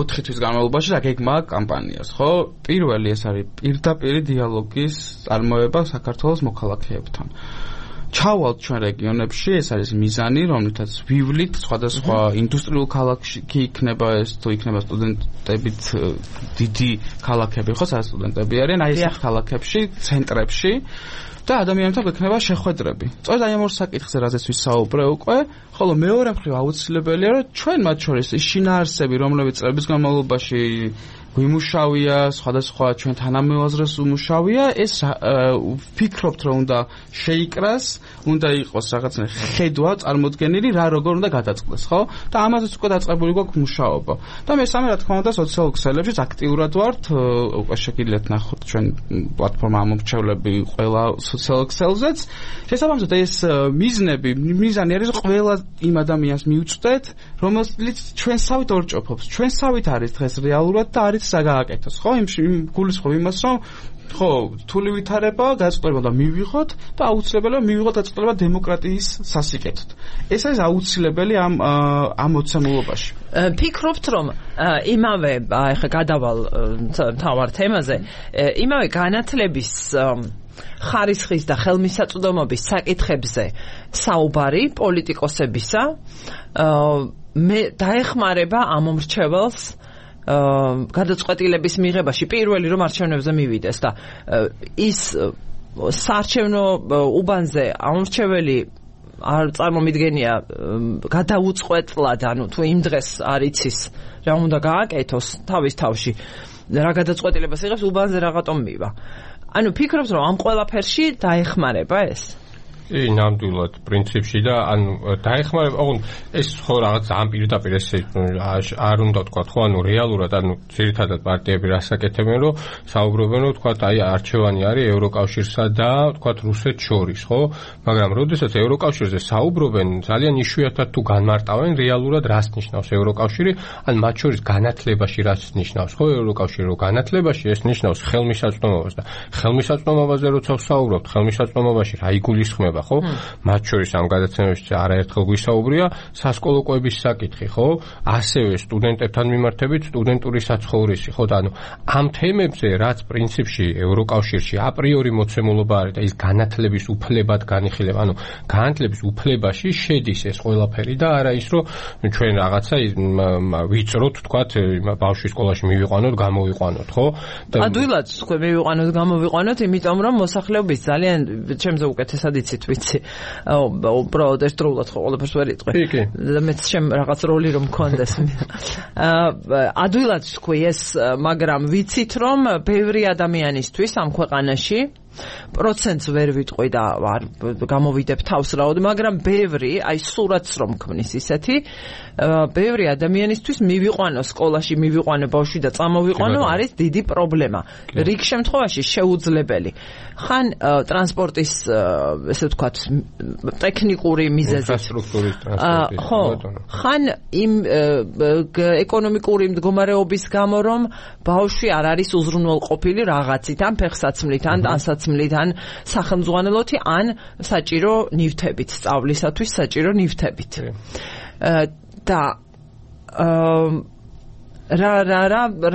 ოთხი თვის განმავლობაში რა გეგმა კამპანიას ხო პირველი ეს არის პირდაპირი დიალოგის წარმოება საქართველოს მოქალაქეებთან ჩავალთ ჩვენ რეგიონებში ეს არის მიზანი რომლითაც ვივლით სხვადასხვა ინდუსტრიულ ქალაქში კი იქნება ეს თუ იქნება სტუდენტებით დიდი ქალაქები ხო სადაც სტუდენტები არიან აი ეს ქალაქებში ცენტრებში და ადამიანებთან გვექნება შეხვედრები. სწორედ აი ამ ორ საკითხზე რაზეც ვისაუბრე უკვე, ხოლო მეორე მხრივ აუცილებელია რომ ჩვენ მათ შორის ის შინაარსები, რომლებიც წლების განმავლობაში გვიმუშავია, სხვადასხვა ჩვენ თანამოაზრეს უმუშავია, ეს ვფიქრობთ რომ უნდა შეიკრას, უნდა იყოს რაღაცა ხედვა წარმოდგენილი, რა როგორ უნდა გადაწყდეს, ხო? და ამაზეც უკვე დაწყებული გვაქვს მუშაობა. და მესამე რა თქმა უნდა სოციალურ ქსელებშიც აქტიურად ვართ, უკვე შეგიძლიათ ნახოთ ჩვენ პლატფორმა ამორჩევლები ყველა სოციალურ ქსელზეც. შესაბამისად ეს მიზნები, მიზანი არის ყველა იმ ადამიანს მიუწვდეთ, რომელიც ჩვენსავით ორჭოფობს. ჩვენსავით არის დღეს რეალურად და არის საგააკეთოს ხო იმ გულისხმობ იმას რომ ხო რთული ვითარება გაწყვეტილება და მივიღოთ და აუცილებელია მივიღოთ გაწყვეტილება დემოკრატიის სასიკეთოდ ეს არის აუცილებელი ამ ამ მოცემულობაში ფიქრობთ რომ იმავე ახლა გადავალ თავარ თემაზე იმავე განათლების ხარისხის და ხელმისაწვდომობის საკითხებზე საუბარი პოლიტიკოსებისა მე დაეხმარება ამ მომრჩეველს გადაწყვეტილების მიღებაში პირველი რომ არჩევნებზე მივიდეს და ის საარჩევნო უბანზე ამორჩეველი არ წარმომიდგენია გადაუწყვეტლად ანუ თუ იმ დღეს არ იცის რა უნდა გააკეთოს თავის თავში რა გადაწყვეტილებას იღებს უბანზე რაღაცომ მივა ანუ ფიქრობთ რომ ამ ყველაფერში დაეხმარება ეს ი ნამდვილად პრინციპში და ანუ დაეხმარება ოღონდ ეს ხო რაღაც ამ პირდაპირ ესე არ უნდა თქვა ხო ანუ რეალურად ანუ ძირითადად პარტიები რასაკეთებენ რომ საუბრობენ რომ თქვა აი არჩევანი არის ევროკავშირსა და თქვა რუსეთს შორის ხო მაგრამ როდესაც ევროკავშირზე საუბრობენ ძალიან იშვიათად თუ განმარტავენ რეალურად რას ნიშნავს ევროკავშირი ან მათ შორის განათლებაში რას ნიშნავს ხო ევროკავშირი რომ განათლებაში ეს ნიშნავს ხელმისაწვდომობას და ხელმისაწვდომობაზე როცა ვსაუბრობთ ხელმისაწვდომობაში რა იგულისხმება ხო მათ შორის ამ გადაცემებში არაერთხელ გვისაუბრია სასკოლო კვების საკითხი ხო ასევე სტუდენტებთან მიმართებით სტუდენტური საცხოვრისი ხო და ანუ ამ თემებზე რაც პრინციპში ევროკავშირში აპრიორი მოცემულობა არის და ის განათლების უფლებად განიხილება ანუ განათლების უფლებაში შედის ეს ყველაფერი და არა ის რომ ჩვენ რაღაცა ვიწროთ თქვათ ბავშვი სკოლაში მივიყვანოთ გამოვიყვანოთ ხო ადვილად თქვენ მივიყვანოთ გამოვიყვანოთ იმიტომ რომ მოსახლეობის ძალიან ჩემზე უკეთესად იცით ვიცი. უბრალოდ ერთდროულად ხო ყველაფერს ვერ იტყვი. და მეც შემ რაღაც როლი რომ მქონდეს. ადვილად თქვი ეს, მაგრამ ვიცით რომ ბევრი ადამიანისთვის ამ ქვეყანაში პროცენტს ვერ ვიტყვი და არ გამოვიდებ თავს რაოდ, მაგრამ ბევრი, აი სურათს რომ ქმნის ისეთი, ბევრი ადამიანისთვის მივიყვანო სკოლაში, მივიყვანო ბავშვი და წამოვიყვანო არის დიდი პრობლემა. რიგ შემთხვევაში შეუძლებელი. ხან ტრანსპორტის, ესე ვთქვათ, ტექნიკური მიზეზით. ინფრასტრუქტურის ტრანსპორტის. ხო, ხან იმ ეკონომიკური მდგომარეობის გამო რომ ბავშვი არ არის უზრუნველყოფილი რაღაცით, ან ფეხსაცმლით, ან ტანსაცმლით, ან სახელმძღვანელოთი, ან საჭირო ნივთებით, სწავლისათვის საჭირო ნივთებით. და რა რა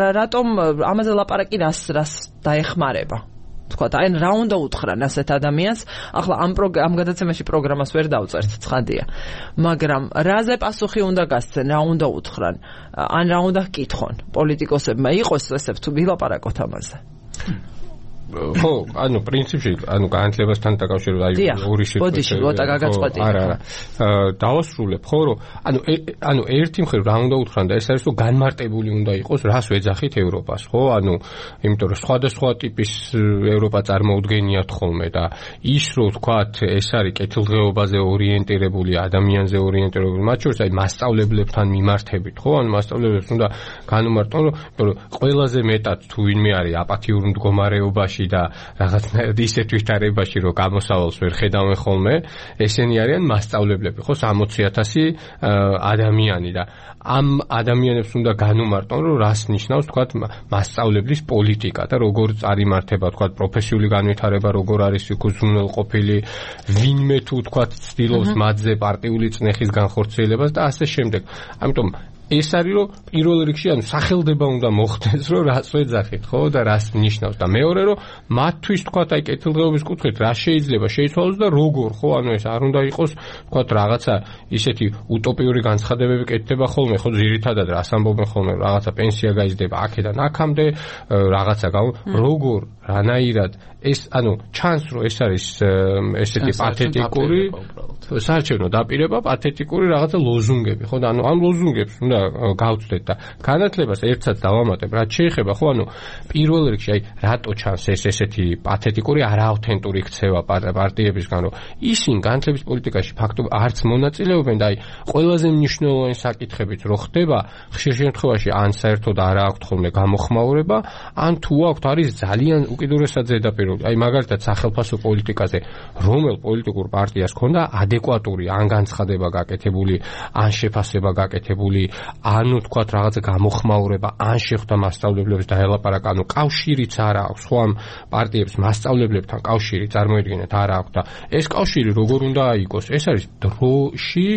რა რატომ ამაზე ლაპარაკი რას რას დაეხმარება? თქვა და აი რა უნდა უთხრან ასეთ ადამიანს, ახლა ამ ამ გადაცემაში პროგრამას ვერ დავწერთ, ცხადია, მაგრამ რაზე პასუხი უნდა გასცენ, რა უნდა უთხრან, ან რა უნდა ჰკითხონ პოლიტიკოსებმა, იყოს ესე თუ ვილაპარაკოთ ამაზე. ხო, ანუ პრინციპში, ანუ განათლებასთან დაკავშირებით აი ორი შეკვეთა. ბოდიში, ლოტა გაგაწყვეტი. არა, არა. დავასრულებ, ხო, რომ ანუ ანუ ერთი მხრივ რა უნდა უთხრან და ეს არის რომ განმარტებული უნდა იყოს, რას ვეძახით ევროპას, ხო? ანუ იმიტომ რომ სხვადასხვა ტიპის ევროპა წარმოუდგენიათ ხოლმე და ის რომ ვთქვათ, ეს არის კეთილდღეობაზე ორიენტირებული, ადამიანზე ორიენტირებული, მათ შორის აი მასწავლებლებთან მიმართებით, ხო? ანუ მასწავლებლებს უნდა განუმარტონ, რომ ყველაზე მეტად თუ ვინმე არის აპათიურ მდგომარეობაში და რაღაცნაირად ისეთ ვითარებაში, რომ გამოსავალს ვერ ხედავენ ხოლმე, ესენი არიან მასწავლებლები, ხო, სამოცი ათასი ადამიანი და ამ ადამიანებს უნდა განუმარტონ, რომ რას ნიშნავს, თქვათ, მასწავლებლის პოლიტიკა და როგორ წარიმართება, თქვათ, პროფესიული განვითარება, როგორ არის იქ უზრუნველყოფილი, ვინმე თუ, თქვათ, ცდილობს მათზე პარტიული წნეხის განხორციელებას და ასე შემდეგ. ამიტომ ეს არის რომ პირველ რიგში ანუ სახელდება უნდა მოხდეს რომ რას ვეძახით ხო და რას ნიშნავს და მეორე რომ მათთვის თქვათ აი კეთილდღეობის კუთხით რა შეიძლება შეიცვალოს და როგორ ხო ანუ ეს არ უნდა იყოს თქვათ რაღაცა ისეთი утоპიური განცხადებები კეთდება ხოლმე ხო ძირითადად რას ამბობენ ხოლმე რაღაცა პენსია გაიზრდება აქედან აქამდე რაღაცა როგორ რანაირად ეს ანუ ჩანს რომ ეს არის ესეთი პათეტიკური საარჩევნო დაპირება პათეტიკური რაღაცა ლოზუნგები ხო და ანუ ამ ლოზუნგებს უნდა გავწდეთ და განათლებას ერთსაც დავამატებ რაც შეეხება ხო ანუ პირველ რიგში აი რატო ჩანს ეს ესეთი პათეტიკური არაავთენტური ქცევა პარტიებისგან რომ ისინი განათლების პოლიტიკაში ფაქტობრივად არც მონაწილეობენ და აი ყველაზე მნიშვნელოვანი საკითხებიც რო ხდება ხშირ შემთხვევაში ან საერთოდ არ აქვთ ხოლმე გამოხმაურება ან თუ აქვთ არის ძალიან უკიდურესად ზედაპირული აი მაგალითად სახელმწიფო პოლიტიკაზე რომელ პოლიტიკურ პარტიას ქონდა ადეკვატური ან განცხადება გაკეთებული ან შეფასება გაკეთებული ანუ თქვათ რაღაცა გამოხმაურება ან შეხვდა მასწავლებლებს დაელაპარაკა ანუ კავშირიც არ აქვს ხო ამ პარტიებს მასწავლებლებთან კავშირი წარმოიდგინეთ არ აქვს და ეს კავშირი როგორ უნდა აიგოს ეს არის დროში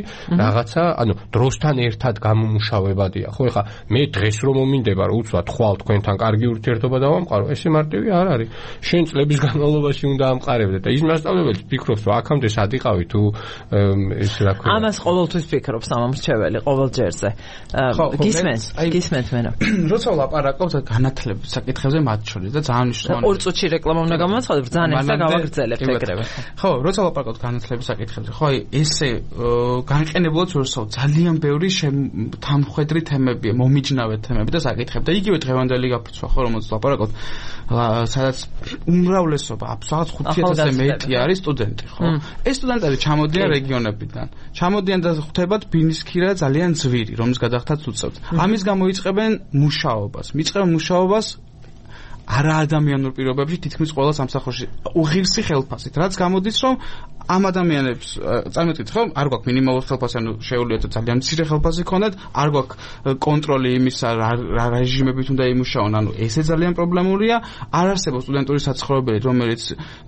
რაღაცა ანუ დროსთან ერთად გამომუშავებადია ხო ეხა მე დღეს რომ მომინდება რომ უცბად ხვალ თქვენთან კარგი ურთიერთობა დავამყარო ესე მარტივი არ არის შენ წლების განმავლობაში უნდა ამყარებდე და ის მასწავლებელი ფიქრობს რომ აქამდე სად იყავი თუ ეს რა ქვია ამას ყოველთვის ფიქრობს ამ მრჩეველი ყოველ ჯერზე გისმენს გისმენთ მენა როცა ვლაპარაკობთ განათლების საკითხებზე მათ შორის და ძალიან მნიშვნელოვანი ორ წუთში რეკლამა უნდა გამოვაცხადოთ ბრძანა და გავაგრძელებთ ეგრევე ხო როცა ვლაპარაკობთ განათლების საკითხებზე ხო აი ესე განყენებულად ვერსაო ძალიან ბევრი თანმხვედრი თემებია მომიჯნავე თემები და საკითხები და იგივე დღევანდელი გაფიცვა ხო რომელსაც ვლაპარაკობთ სადაც უმრავლესობა აბსოლუტურად ხუთი ათასზე მეტი არის სტუდენტი ხო ეს სტუდენტები ჩამოდიან რეგიონებიდან ჩამოდიან და ხვდებათ ბინისქირა ძალიან ძვირი რომის გადახდაც უწევთ ამის გამო იწყებენ მუშაობას მიწყებენ მუშაობას არაადამიანურ პირობებში თითქმის ყველა სამსახურში უღირსი ხელფასით რაც გამოდის რომ ამ ადამიანებს წარმოვიდგინეთ ხო არ გვაქვს მინიმალური ხელფასი ანუ შეუძლიათ ძალიან მცირე ხელფასი ქონდეთ არ გვაქვს კონტროლი იმისა რა რეჟიმებით უნდა იმუშაონ ანუ ესე ძალიან პრობლემურია არ არსებობს სტუდენტური საცხოვრებელი რომელიც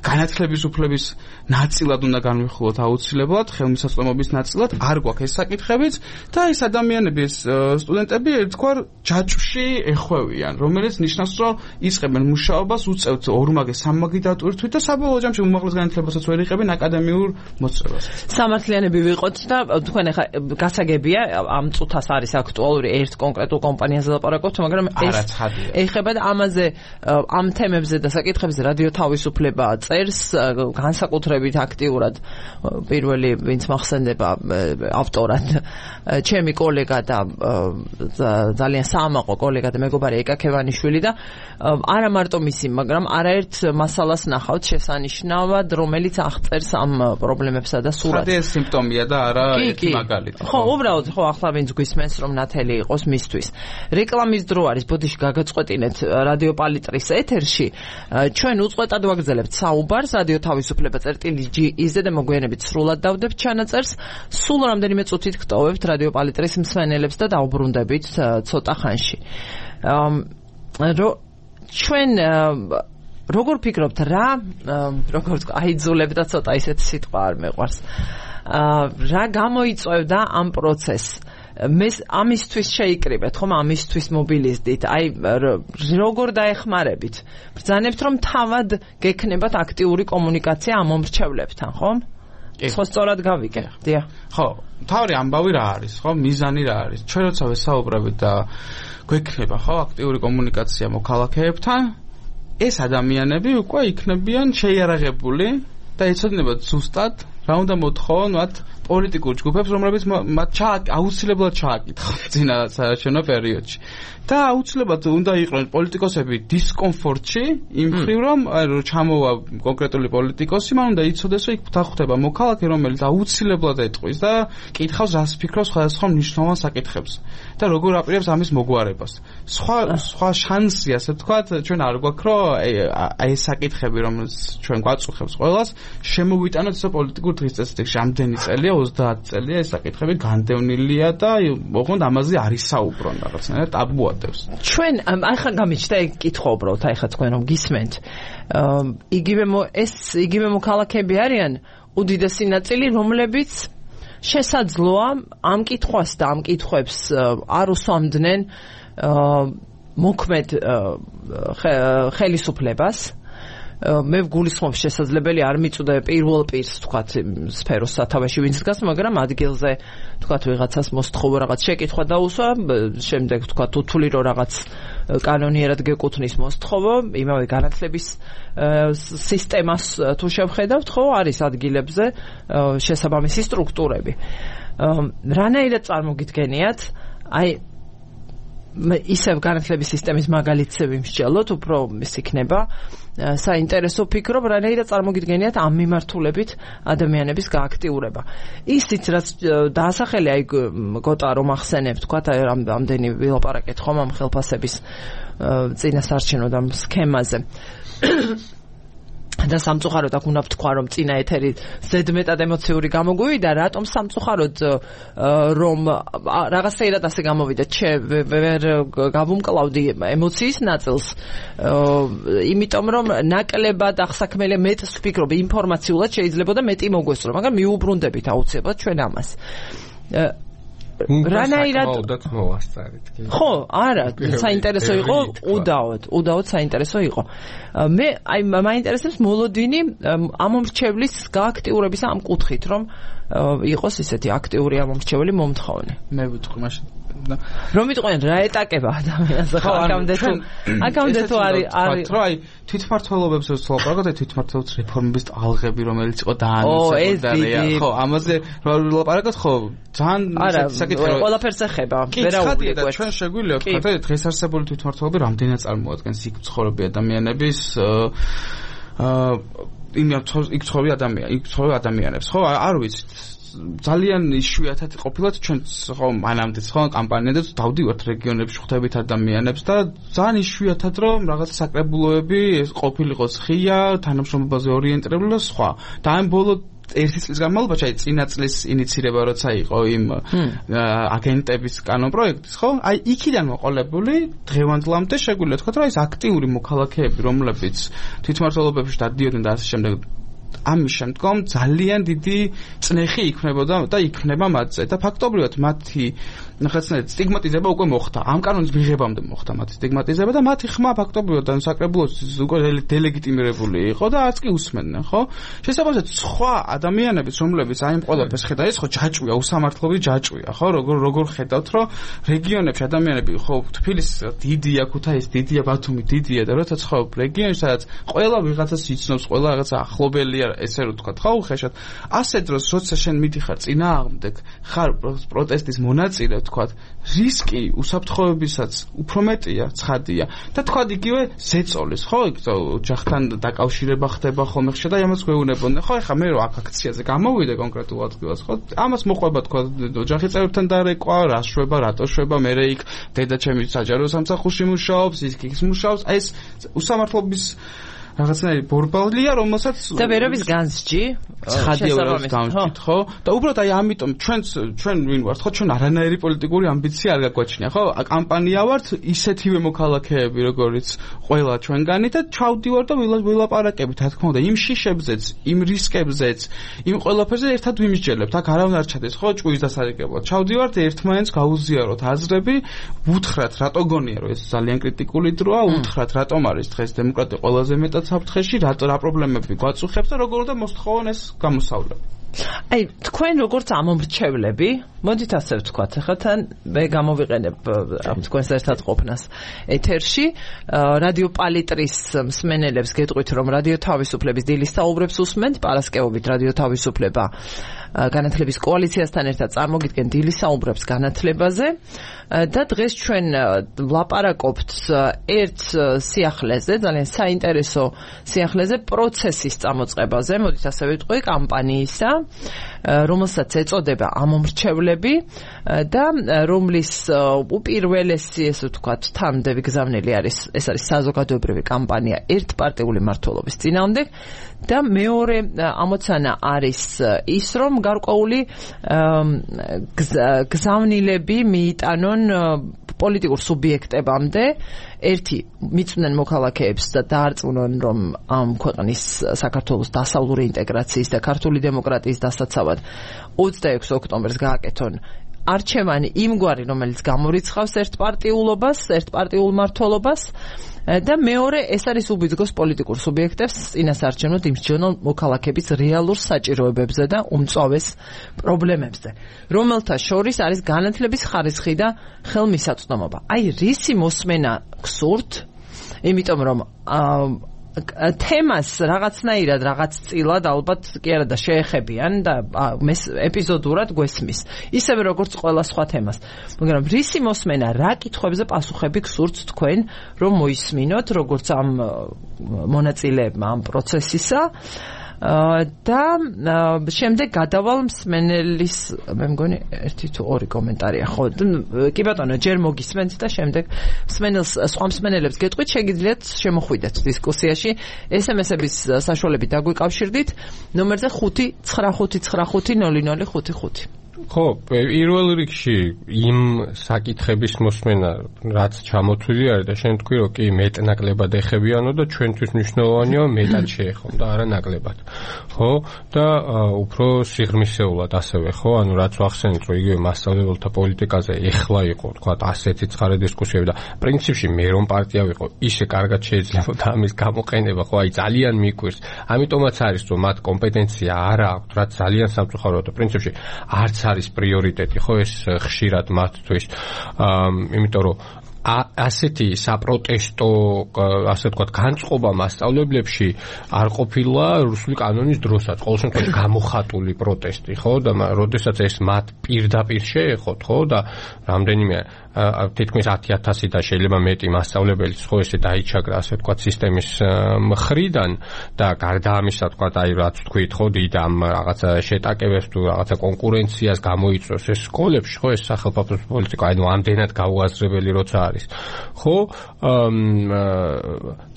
განათლების უფლების ნაწილად უნდა განვიხილოთ აუცილებლად ხელმისაწვდომობის ნაწილად არ გვაქვს ეს საკითხებიც და ეს ადამიანები ეს სტუდენტები ერთგვარ ჯაჭვში ეხვევიან რომელიც ნიშნავს რომ იწყებენ მუშაობას უწევთ ორმაგე სამმაგისტრატურის თვით და საბოლოო ჯამში უმაღლეს განათლებასაც ვერ იღებენ აკადემია სისტემიურ მოწევას. სამართლიანები ვიყოთ და თქვენ ახლა გასაგებია ამ წუთას არის აქტუალური ერთ კონკრეტულ კომპანიაზე ლაპარაკობთ, მაგრამ ეს ეხება და ამაზე ამ თემებზე და საკითხებზე რადიო თავისუფლება წერს განსაკუთრებით აქტიურად პირველი ვინც მახსენდება ავტორად ჩემი კოლეგა და ძალიან საამაყო კოლეგა და მეგობარი ეკაკევანიშვილი და არა მარტო მისი, მაგრამ არაერთ მასალას ნახავთ შესანიშნავად, რომელიც აღწერს ამ პრობლემებსა და სურათს. ხადია სიმპტომია და არა ერთი მაგალითი. ხო, უბრალოდ ხო ახლა ვინც გვისმენს რომ ნათელი იყოს მისთვის. რეკლამის დრო არის, ბოდიში გაგაწყვეტინეთ რადიო პალიტრის ეთერში. ჩვენ უწყვეტად ვაგრძელებთ საუბარს რადიო თავისუფლება წერტილი ჯი იზ-ზე და მოგვიანებით სრულად დავდებთ ჩანაწერს. სულ რამდენიმე წუთით გტოვებთ რადიო პალიტრის მსმენელებს და დაუბრუნდებით ცოტა ხანში. რო ჩვენ როგორ ფიქრობთ რა როგორ თქვა აიძულებ და ცოტა ისეთ სიტყვა არ მეყვარს რა გამოიწვევდა ამ პროცესს მე ამისთვის შეიკრიბეთ ხომ ამისთვის მობილიზდით აი როგორ დაეხმარებით ბრძანებთ რომ თავად გექნებათ აქტიური კომუნიკაცია ამ მომრჩევლებთან ხომ ხო სწორად გავიგე დიახ ხო თავი ამბავი რა არის ხო მიზანი რა არის ჩვენ როცა ვესაუბრებით და გვექნება ხო აქტიური კომუნიკაცია მოქალაქეებთან ეს ადამიანები უკვე იქნებიან შეიარაღებული და ეცოდინებათ ზუსტად რა უნდა მოთხოვონ მათ პოლიტიკურ ჯგუფებს რომლებიც მათ აუცილებლად ჩააკითხავთ წინა საარჩევნო პერიოდში და აუცილებლად უნდა იყვნენ პოლიტიკოსები დისკომფორტში იმ მხრივ რომ ჩამოვა კონკრეტული პოლიტიკოსი მან უნდა იცოდეს რომ იქ დახვდება მოქალაქე რომელიც აუცილებლად ეტყვის და კითხავს რას ფიქრობს სხვადასხვა მნიშვნელოვან საკითხებზე და როგორ აპირებს ამის მოგვარებას სხვა სხვა შანსი ასე ვთქვათ ჩვენ არ გვაქვს რომ აი ეს საკითხები რომელიც ჩვენ გვაწუხებს ყველას შემოვიტანოთ ეს პოლიტიკურ დღესდღეობით რამდენი წელია ოცდაათი წელია ეს საკითხები განდევნილია და ოღონდ ამაზე არის საუბრონ რაღაცნაირად ტაბუა ჩვენ ახლა გამიჩნდა ეგ კითხვა უბრალოდ აი ხა თქვენ რომ გისმენთ იგივე ეს იგივე მოქალაქეები არიან უდიდესი ნაწილი რომლებიც შესაძლოა ამ კითხვას და ამ კითხვებს არ უსვამდნენ მოქმედ ხელისუფლებას მე ვგულისხმობ შესაძლებელი არ მიწვდა პირველ პირს თქვათ სფეროს სათავეში ვინც დგას მაგრამ ადგილზე თქვათ ვიღაცას მოსთხოვო რაღაც შეკითხვა დაუსვა შემდეგ თქვათ უთვლი რომ რაღაც კანონიერად გეკუთვნის მოსთხოვო იმავე განათლების სისტემას თუ შევხედავთ ხო არის ადგილებზე შესაბამისი სტრუქტურები რანაირად წარმოგიდგენიათ აი ისევ განათლების სისტემის მაგალითზე ვიმსჯელოთ უფრო ის იქნება საინტერესო ფიქრობ რანაირად წარმოგიდგენიათ ამ მიმართულებით ადამიანების გააქტიურება ისიც რაც დაასახელე აი გოტა რომ ახსენებ თქვა აი რამდენი ვილაპარაკეთ ხომ ამ ხელფასების წინასაარჩევნო და სქემაზე და სამწუხაროდ აქ უნდა ვთქვა რომ წინა ეთერი ზედმეტად ემოციური გამოგვივიდა რატომ სამწუხაროდ რომ რაღაცაირად ასე გამოვიდა ვერ გავუმკლავდი ემოციის ნაწილს იმიტომ რომ ნაკლებად ახსაქმელია მეტს ვფიქრობ ინფორმაციულად შეიძლებოდა მეტი მოგვესწრო მაგრამ მიუბრუნდებით აუცილებლად ჩვენ ამას რანაირად მოვასწარეთ ხო არა საინტერესო იყო უდაოდ უდაოდ საინტერესო იყო მე აი მაინტერესებს მოლოდინი ამომრჩევლის გააქტიურების ამ კუთხით რომ იყოს ისეთი აქტიური ამომრჩეველი მომთხოვნე მე ვიტყვი მაშინ რომ ვიტყვენ რა ეტაკება ადამიანს ხო აქამდე თუ აქამდე თუ არის არის რომ აი თვითმმართველობებს ვსაუბრობთ და თვითმმართველობის რეფორმების ტალღები რომელიც იყო დაანონსებული ხო ამაზე ვილაპარაკოთ ხო ძალიან საკითხი ყველაფერს ეხება ვერაუბრი და ჩვენ შეგვიძლია ვთქვათ რომ დღეს არსებული თვითმმართველობები რამდენად წარმოადგენს იქ მცხოვრები ადამიანების აა იმ იქ მცხოვრები ადამიანები იქ მცხოვრები ადამიანებს ხო არ ვიცით ძალიან იშვიათად ყოფილად ჩვენ ხო მანამდეც ხო კამპანიადაც დავდივართ რეგიონებში ხვდებით ადამიანებს და ძალიან იშვიათად რომ რაღაც საკრებულოები ეს ყოფილიყოს ხია თანამშრომლობაზე ორიენტირებული და სხვა და ამ ბოლო ერთი წლის განმავლობაში აი წინა წლის ინიცირება როცა იყო იმ აგენტების კანონპროექტის ხო აი იქიდან მოყოლებული დღევანდლამდე შეგვიძლია თქვა რომ ეს აქტიური მოქალაქეები რომლებიც თვითმმართველობებში დადიოდნენ და ასე შემდეგ ამის შემდგომ ძალიან დიდი წნეხი იქნებოდა და იქნება მათზე და ფაქტობრივად მათი ნახეცნაირად სტიგმატიზება უკვე მოხდა. ამ კანონის მიღებამდე მოხდა მათი სტიგმატიზება და მათი ხმა ფაქტობრივად საკრებულოს უკვე დელეგიტიმირებული იყო და არც კი უსმენდნენ, ხო? შესაბამისად, სხვა ადამიანების, რომლებიც აი ამ ყველაფერს ხედავენ, ეს ხო ჯაჭვია, უსამართლობის ჯაჭვია, ხო? როგორ როგორ ხედავთ, რომ რეგიონებში ადამიანები ხო თბილისი დიდია, ქუთაისი დიდია, ბათუმი დიდია და როცა ცხოვრობ რეგიონში, სადაც ყველა ვიღაცას იცნობს, ყველა რაღაცა ახლობელია, ესე რომ თქვა, ხო, უხეშად. ასე დროს, როცა შენ მიდიხარ წინააღმდეგ, ხარ პროტესტის მონაწილე, თქვა, რისკი უსაფრთხოებისაც უფრო მეტია, ცხადია. და თქვა იგივე ზეწოლის, ხო, ოჯახთან დაკავშირება ხდება ხოლმე ხშირად და ამას გვეუბნებოდნენ, ხო, ეხლა მე რო აქ აქციაზე გამოვიდე კონკრეტულ ადგილას, ხო, ამას მოყვება თქვა ოჯახის წევრებთან დარეკვა, რა შვება, რატო შვება, მე იქ დედა ჩემი საჯარო სამსახურში მუშაობს, ის იქ მუშაობს, აი ეს უსამართლობის რაღაცნაირი ბორბალია, რომელსაც და ვერობის განსჯი ცხადია ვერობის განსჯით, ხო? და უბრალოდ აი ამიტომ ჩვენც ჩვენ ვინ ვართ, ხო, ჩვენ არანაირი პოლიტიკური ამბიცია არ გაგვაჩნია, ხო? კამპანია ვართ ისეთივე მოქალაქეები, როგორიც ყველა ჩვენგანი და ჩავდივარ და ვილაპარაკებით, რა თქმა უნდა, იმ შიშებზეც, იმ რისკებზეც, იმ ყველაფერზე ერთად ვიმსჯელებთ. აქ არავინ არ ჩადეს, ხო, ჭუის დასარიგებლად. ჩავდივართ ერთმანეთს გავუზიაროთ აზრები, უთხრათ, რატო გონია, რომ ეს ძალიან კრიტიკული დროა, უთხრათ, რატომ არის დღეს დემოკრატია ყველაზე მეტად საფრთხეში, რა რა პრობლემები გვაწუხებს და როგორ უნდა მოსთხოვონ ეს გამოსავლები. აი, თქვენ როგორც ამომრჩევლები, მოდით ასე ვთქვათ, ახლა თან მე გამოვიყენებ ამ თქვენს ერთად ყოფნას ეთერში, რადიო პალიტრის მსმენელებს გეტყვით, რომ რადიო თავისუფლების დილის საუბრებს უსმენთ, პარასკევობით რადიო თავისუფლება განათლების კოალიციასთან ერთად წარმოგიდგენ დილის საუბრებს განათლებაზე და დღეს ჩვენ ვლაპარაკობთ ერთ სიახლეზე, ძალიან საინტერესო სიახლეზე, პროცესის წამოწყებაზე, მოდით ასე ვიტყვი, კამპანიისა, რომელსაც ეწოდება ამომრჩევლები და რომლის უპირველესი, ესე ვთქვათ, თანმდევი გზავნილი არის, ეს არის საზოგადოებრივი კამპანია ერთპარტიული მმართველობის წინააღმდეგ და მეორე ამოცანა არის ის, რომ გარკვეული გზავნილები მიიტანონ პოლიტიკურ სუბიექტებამდე, ერთი მიწვნენ მოქალაქეებს და დაარწმუნონ, რომ ამ ქვეყნის საქართველოს დასავლური ინტეგრაციის და ქართული დემოკრატიის დასაცავად ოცდაექვსი ოქტომბერს გააკეთონ არჩევანი იმგვარი, რომელიც გამორიცხავს ერთპარტიულობას, ერთპარტიულ მმართველობას და მეორე ეს არის უბიძგოს პოლიტიკურ სუბიექტებს წინასარჩენოდ იმსჯენონ მოქალაქეების რეალურ საჭიროებებზე და უმწვავეს პრობლემებზე, რომელთა შორის არის განათლების ხარისხი და ხელმისაწვდომობა. აი, რისი მოსმენა გსურთ, იმიტომ რომ თემას რაღაცნაირად რაღაც წილად ალბათ კი არა და შეეხებიან და მეს ეპიზოდურად გვესმის ისევე როგორც ყველა სხვა თემას, მაგრამ რისი მოსმენა, რა კითხვებზე პასუხები გსურთ თქვენ, რომ მოისმინოთ როგორც ამ მონაწილეებმა ამ პროცესისა და შემდეგ გადავალ მსმენელის, მე მგონი ერთი თუ ორი კომენტარია, ხო, კი ბატონო, ჯერ მოგისმენთ და შემდეგ მსმენელს, სხვა მსმენელებს გეტყვით, შეგიძლიათ შემოხვიდეთ დისკუსიაში, ეს ემ ეს-ების საშუალებით დაგვიკავშირდით ნომერზე ხუთი ცხრა ხუთი ცხრა ხუთი ნული ნული ხუთი ხუთი. ხო, პირველ რიგში იმ საკითხების მოსმენა, რაც ჩამოთვლილი არის და შენ თქვი, რომ კი მეტნაკლებად ეხებიანო და ჩვენთვის მნიშვნელოვანია მეტად შეეხონ და არა ნაკლებად. ხო? და უფრო სიღრმისეულად ასევე, ხო? ანუ რაც ვახსენეთ, რომ იგივე მასწავლებელთა პოლიტიკაზე ეხლა იყო, თქვა, ასეთი ცხარე დისკუსიები და პრინციპში მე რომ პარტია ვიყო, ისე კარგად შეიძლებოდა ამის გამოყენება, ხო? აი ძალიან მიკვირს. ამიტომაც არის, რომ მათ კომპეტენცია არ აქვს, რაც ძალიან სამწუხაროა და პრინციპში არც არის პრიორიტეტი, ხო, ეს ხშირად მათთვის, იმიტომ რომ ასეთი საპროტესტო, ასე ვთქვათ, განწყობა მასწავლებლებში არ ყოფილა რუსული კანონის დროსაც, ყოველ შემთხვევაში გამოხატული პროტესტი, ხო, და როდესაც ეს მათ პირდაპირ შეეხოთ, ხო, და რამდენიმე თითქმის ათი ათასი და შეიძლება მეტი მასწავლებელიც, ხო, ესე დაიჩაგრა, ასე ვთქვათ, სისტემის მხრიდან და გარდა ამისა, ვთქვათ, აი რაც თქვით, ხო, დიდ ამ რაღაცა შეტაკებებს თუ რაღაცა კონკურენციას გამოიწვევს ეს სკოლებში, ხო, ეს სახელმწიფო პოლიტიკა, ანუ ამდენად გაუაზრებელი როცა არის. ხო,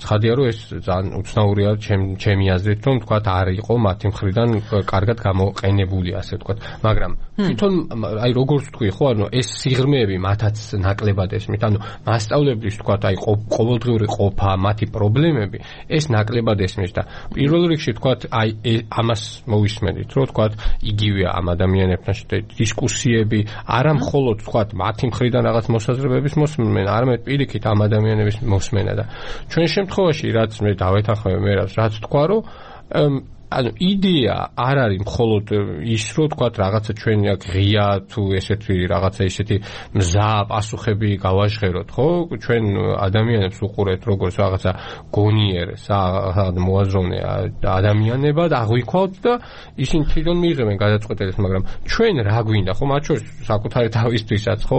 ცხადია, რომ ეს ძალიან უცნაურია ჩემი აზრით, რომ ვთქვათ, არ იყო მათი მხრიდან კარგად გამოყენებული, ასე ვთქვათ, მაგრამ თვითონ აი როგორც თქვი, ხო, ანუ ეს სიღრმეები მათაც ნაკლებად ესმით. ანუ მასწავლებლის თქვა აი ყოველდღიური ყოფა, მათი პრობლემები ეს ნაკლებად ესმის და პირველ რიგში თქვა აი ამას მოვისმენთ, რომ თქვა იგივეა ამ ადამიანებთან დისკუსიები, არა მხოლოდ თქვა მათი მხრიდან რაღაც მოსაზრებების მოსმენა, არამედ პირიქით ამ ადამიანების მოსმენა და ჩვენ შემთხვევაში რაც მე დავეთანხმები მე რაც თქვა რომ ანუ იდეა არ არის მხოლოდ ის რომ თქვა რაღაცა ჩვენი აქ ღია თუ ესეთი რაღაცა ისეთი მზა პასუხები გავაჟღეროთ ხო ჩვენ ადამიანებს უყურეთ როგორც რაღაცა გონიერს რაღაც მოაზროვნე ადამიანებად აღვიქვათ და ისინი თვითონ მიიღებენ გადაწყვეტილებას მაგრამ ჩვენ რა გვინდა ხო მათ შორის საკუთარი თავისთვისაც ხო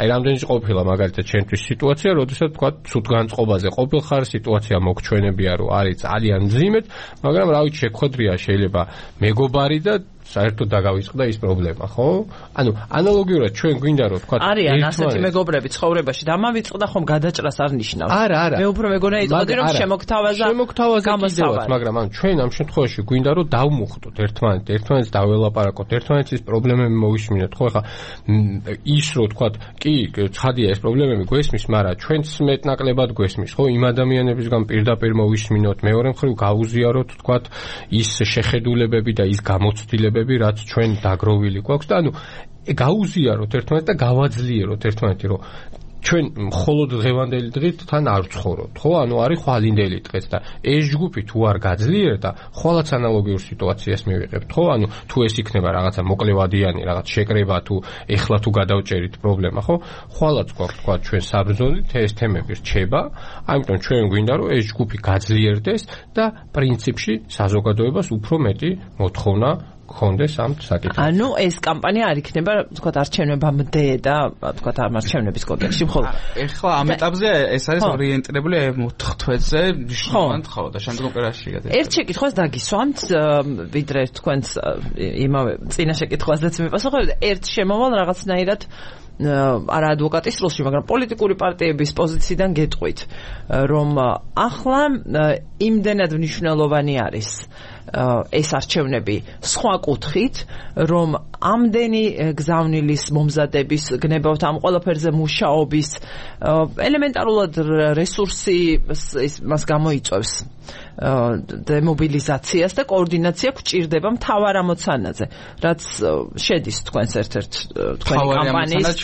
აი რამდენიც ყოფილა მაგალითად ჩვენთვის სიტუაცია როდესაც თქვა ცუდ განწყობაზე ყოფილხარ სიტუაცია მოგჩვენებია რომ არის ძალიან მძიმედ მაგრამ რა ვიცი ხოდრია შეიძლება მეგობარი და საერთოდ დაგავიწყდა ის პრობლემა, ხო? ანუ ანალოგიურად ჩვენ გვინდა რომ თქვა არიან ასეთი მეგობრები ცხოვრებაში და ამავიწყდა ხომ გადაჭრას არ ნიშნავს. არა, არა. მე უფრო მეგონა იტყოდი რომ შემოგთავაზა გამოსავალი. მაგრამ ანუ ჩვენ ამ შემთხვევაში გვინდა რომ დავმუხტოთ ერთმანეთს, ერთმანეთს დაველაპარაკოთ, ერთმანეთის პრობლემები მოვისმინოთ, ხო? ხა ის რომ თქვა კი, ცხადია ეს პრობლემები გვესმის, მაგრამ ჩვენც მეტნაკლებად გვესმის, ხო? იმ ადამიანებისგან პირდაპირ მოვისმინოთ, მეორე მხრივ გაუზიაროთ თქვა ის შეხედულებები და ის გამოცდილებები რაც ჩვენ დაგროვილი გვაქვს და ანუ გაუზიაროთ ერთმანეთს და გავაძლიეროთ ერთმანეთი რომ ჩვენ მხოლოდ დღევანდელი დღით თან არ ვცხოვრობთ ხო ანუ არის ხვალინდელი დღეც და ეს ჯგუფი თუ არ გაძლიერდა ხვალაც ანალოგიურ სიტუაციას მივიღებთ ხო ანუ თუ ეს იქნება რაღაცა მოკლევადიანი რაღაც შეკრება თუ ეხლა თუ გადავჭერით პრობლემა ხო ხვალაც გვაქვს თქვა ჩვენ საბრძოლით ეს თემები რჩება ამიტომ ჩვენ გვინდა რომ ეს ჯგუფი გაძლიერდეს და პრინციპში საზოგადოებას უფრო მეტი მოთხოვნა ხონდეს ამ საკითხს. ანუ ეს კამპანია არ იქნება, თქვათ, არჩევნებამდე და თქვათ, არჩევნების კონტექსტში მხოლოდ. ეხლა ამ ეტაპზე ეს არის ორიენტირებული მოთხთვეზე, მნიშვნელოვანი ხო და შემდგომ პერიოდში გადაიწყება. ერთ შეკითხვას დაგისვამთ, ვიდრე თქვენს იმავე წინა შეკითხვაზეც მიპასუხებთ, ერთ შემოვალ რაღაცნაირად არა ადვოკატის როლში, მაგრამ პოლიტიკური პარტიების პოზიციიდან გეტყვით, რომ ახლა იმდენად მნიშვნელოვანი არის ეს არჩევნები სხვა კუთხით, რომ ამდენი გზავნილის მომზადების, გნებავთ ამ ყველაფერზე მუშაობის ელემენტარულად რესურსი მას გამოიწვევს დემობილიზაციას და კოორდინაცია გვჭირდება მთავარ ამოცანაზე, რაც შედის თქვენს ერთ-ერთ თქვენი კამპანიის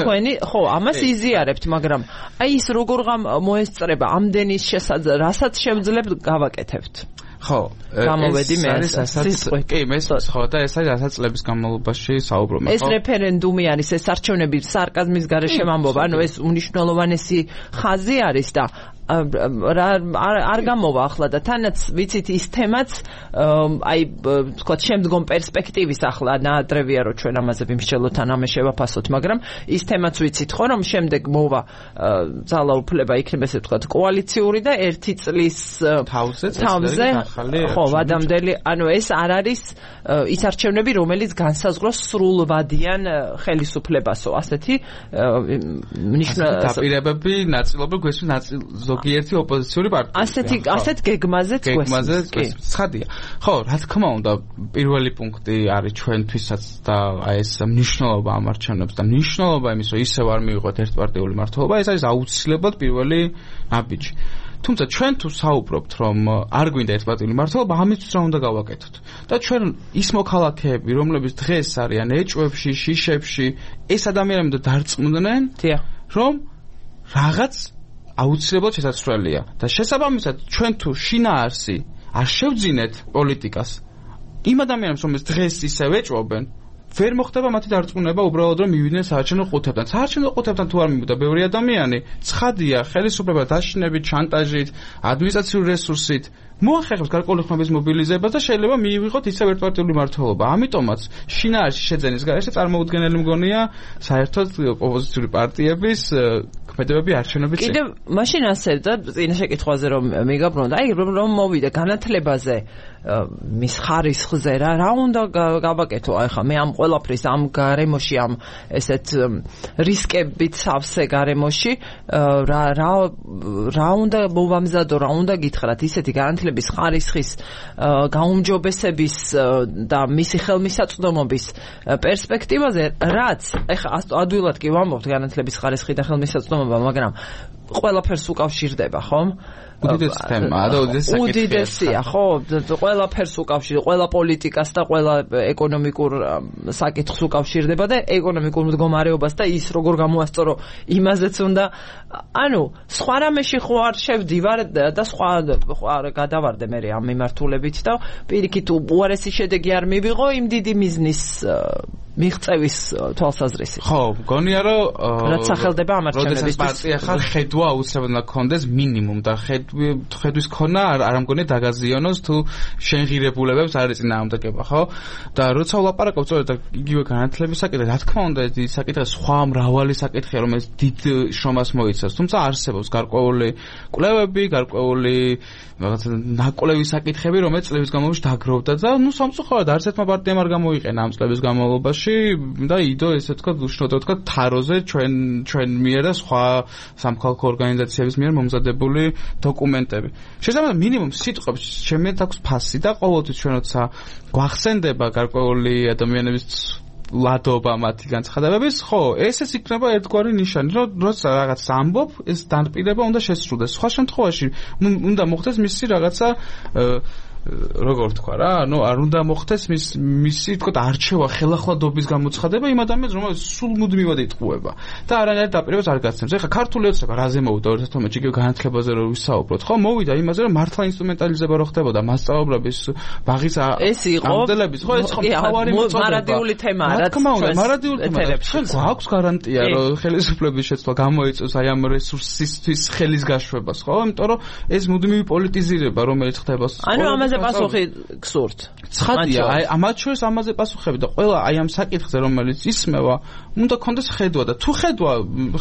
თქვენი ხო, ამას იზიარებთ, მაგრამ აი ის როგორ მოესწრება ამდენის შესაძლებლად, რასაც შევძლებთ გავაკეთებთ. ხო, გამოვედი მე ასაც კი მე ხო და ეს არის ასაც წლების განმავლობაში საუბრობ ეს რეფერენდუმი არის ეს არჩევნები სარკაზმის გარეშე ვამბობ ანუ ეს უნიშნელოვანესი ხაზი არის და არ გამოვა ახლა და თანაც ვიცით ის თემაც აი თქვა შემდგომ პერსპექტივის ახლა ნაადრევია რომ ჩვენ ამაზე ვიმსჯელოთ ან ამე შევაფასოთ მაგრამ ის თემაც ვიცით ხო რომ შემდეგ მოვა ძალაუფლება იქნება ესე ვთქვათ კოალიციური და ერთი წლის თავზე ხო ვადამდელი ანუ ეს არ არის ის არჩევნები რომელიც განსაზღვროს სრულვადიან ხელისუფლებასო ასეთი მნიშვნელოვანი დაპირებები ნაწილობრივ გვესმის ნაწილ ზოგიერთი ოპოზიციური პარტია. ასეთი ასეთ გეგმაზეც გვესმის. ცხადია. ხო, რა თქმა უნდა, პირველი პუნქტი არის ჩვენთვისაც და აი ეს მნიშვნელობა ამ არჩევნებს და მნიშვნელობა იმის, რომ ისევ არ მივიღოთ ერთპარტიული მართლობა, ეს არის აუცილებლად პირველი ნაბიჯი. თუმცა ჩვენ თუ საუბრობთ, რომ არ გვინდა ერთპარტიული მართლობა, ამისთვის რა უნდა გავაკეთოთ? და ჩვენ ის მოქალაქეები, რომლებიც დღეს არიან ეჭვებში, შიშებში, ეს ადამიანები დარწმუნდნენ, რომ რაღაც აუცილებლად შესაძლებელია და შესაბამისად ჩვენ თუ შინაარსი არ შევძინეთ პოლიტიკას იმ ადამიანებს რომლებიც დღეს ისევ ეჭვობენ ვერ მოხდება მათი დარწმუნება უბრალოდ რომ მივიდნენ საარჩევნო ყუთებთან საარჩევნო ყუთებთან თუ არ მივიდა ბევრი ადამიანი ცხადია ხელისუფლება დაშინებით შანტაჟით ადმინისტრაციული რესურსით მოახერხებს გარკვეული ხმების მობილიზებას და შეიძლება მიიღოთ ისევ ერთპარტიული მმართველობა. ამიტომაც შინაარსი შეძენის გარეშე წარმოუდგენელი მგონია საერთოდ ოპოზიციური პარტიების ქმედებები არჩევნების წინ. კიდევ მაშინ ასე და წინა შეკითხვაზე რომ მიგაბრუნდა, აი რომ მოვიდა განათლებაზე მის ხარისხზე რა რა უნდა გავაკეთო აი ხა მე ამ ყველაფრის ამ გარემოში ამ ესეთ რისკებით სავსე გარემოში რა რა რა უნდა მოვამზადო რა უნდა გითხრათ ისეთი განათლების ხარისხის გაუმჯობესების და მისი ხელმისაწვდომობის პერსპექტივაზე რაც ეხა ადვილად კი ვამბობთ განათლების ხარისხი და ხელმისაწვდომობა მაგრამ ყველაფერს უკავშირდება ხომ უდიდესი თემაა და უდიდესი საკითხია. უდიდესია, ხო, ყველაფერს უკავშირდება, ყველა პოლიტიკას და ყველა ეკონომიკურ საკითხს უკავშირდება და ეკონომიკურ მდგომარეობას და ის როგორ გამოასწორო იმაზეც უნდა ანუ სხვა რამეში ხო არ შევდივარ და სხვა არ გადავარდე მე ამ მიმართულებით და პირიქით უარესი შედეგი არ მივიღო იმ დიდი მიზნის მიღწევის თვალსაზრისით. ხო, მგონია რომ რაც სახელდება ამ არჩევნებისთვის. როდესაც პარტია ხარ, ხედვა აუცილებლად უნდა გქონდეს მინიმუმ და ხედვის ქონა არ ამგონია დაგაზიანოს თუ შენ ღირებულებებს არ ეწინააღმდეგება, ხო? და როცა ვლაპარაკობ სწორედ იგივე განათლების საკითხზე, რა თქმა უნდა, ეს საკითხი სხვა მრავალი საკითხია, რომელიც დიდ შრომას მოიცავს, თუმცა არსებობს გარკვეული კვლევები, გარკვეული რაღაცა ნაკვლევი საკითხები, რომელიც წლების განმავლობაში დაგროვდა და ნუ სამწუხაროდ არც ერთმა პარტიამ არ გამოიყენა ამ წლების განმავლობაში და იდო ესე თქვა უშნოდა თქვა თაროზე ჩვენ ჩვენ მიერ და სხვა სამხალხო ორგანიზაციების მიერ მომზადებული დოკუმენტები. შესაბამისად მინიმუმ სიტყვებს შემეთ აქვს ფასი და ყოველთვის ჩვენ როცა გვახსენდება გარკვეული ადამიანების ლადობა მათი განცხადებების, ხო, ესეც იქნება ერთგვარი ნიშანი, რომ როცა რაღაც ამბობ, ეს დანპირება უნდა შესრულდეს. სხვა შემთხვევაში უნდა მოხდეს მისი რაღაცა როგორ თქვა რა, ანუ არ უნდა მოხდეს მის მისი თქო არჩევა ხელახლა-დობის გამოცხადება იმ ადამიანს, რომელიც სულ მუდმივად იტყუება და არანაირ დაპირებას არ გასცემს. ეხლა ქართული ოცნება რაზე მოვიდა ორ ათას თორმეტში იგივე განათლებაზე რომ ვისაუბროთ, ხო, მოვიდა იმაზე, რომ მართლა ინსტრუმენტალიზება რო ხდებოდა მასწავლებლების ბაღის ამდელების, ხო, ეს ხო თავარი მოწოდება. მარადიული თემაა, რა თქმა უნდა, მარადიული თემაა. ჩვენ გვაქვს გარანტია, რომ ხელისუფლების შეცვლა გამოიწვევს აი ამ რესურსისთვის ხელის გაშვებას, ხო? იმიტომ რომ ეს მუდმივი პოლიტიზირება, რომელიც ხდება. ანუ ამაზე პასუხი გსურთ. ცხადია, აი ამათ შორის ამაზე პასუხები და ყველა აი ამ საკითხზე რომელიც ისმევა, უნდა კონდეს ხედვა და თუ ხედვა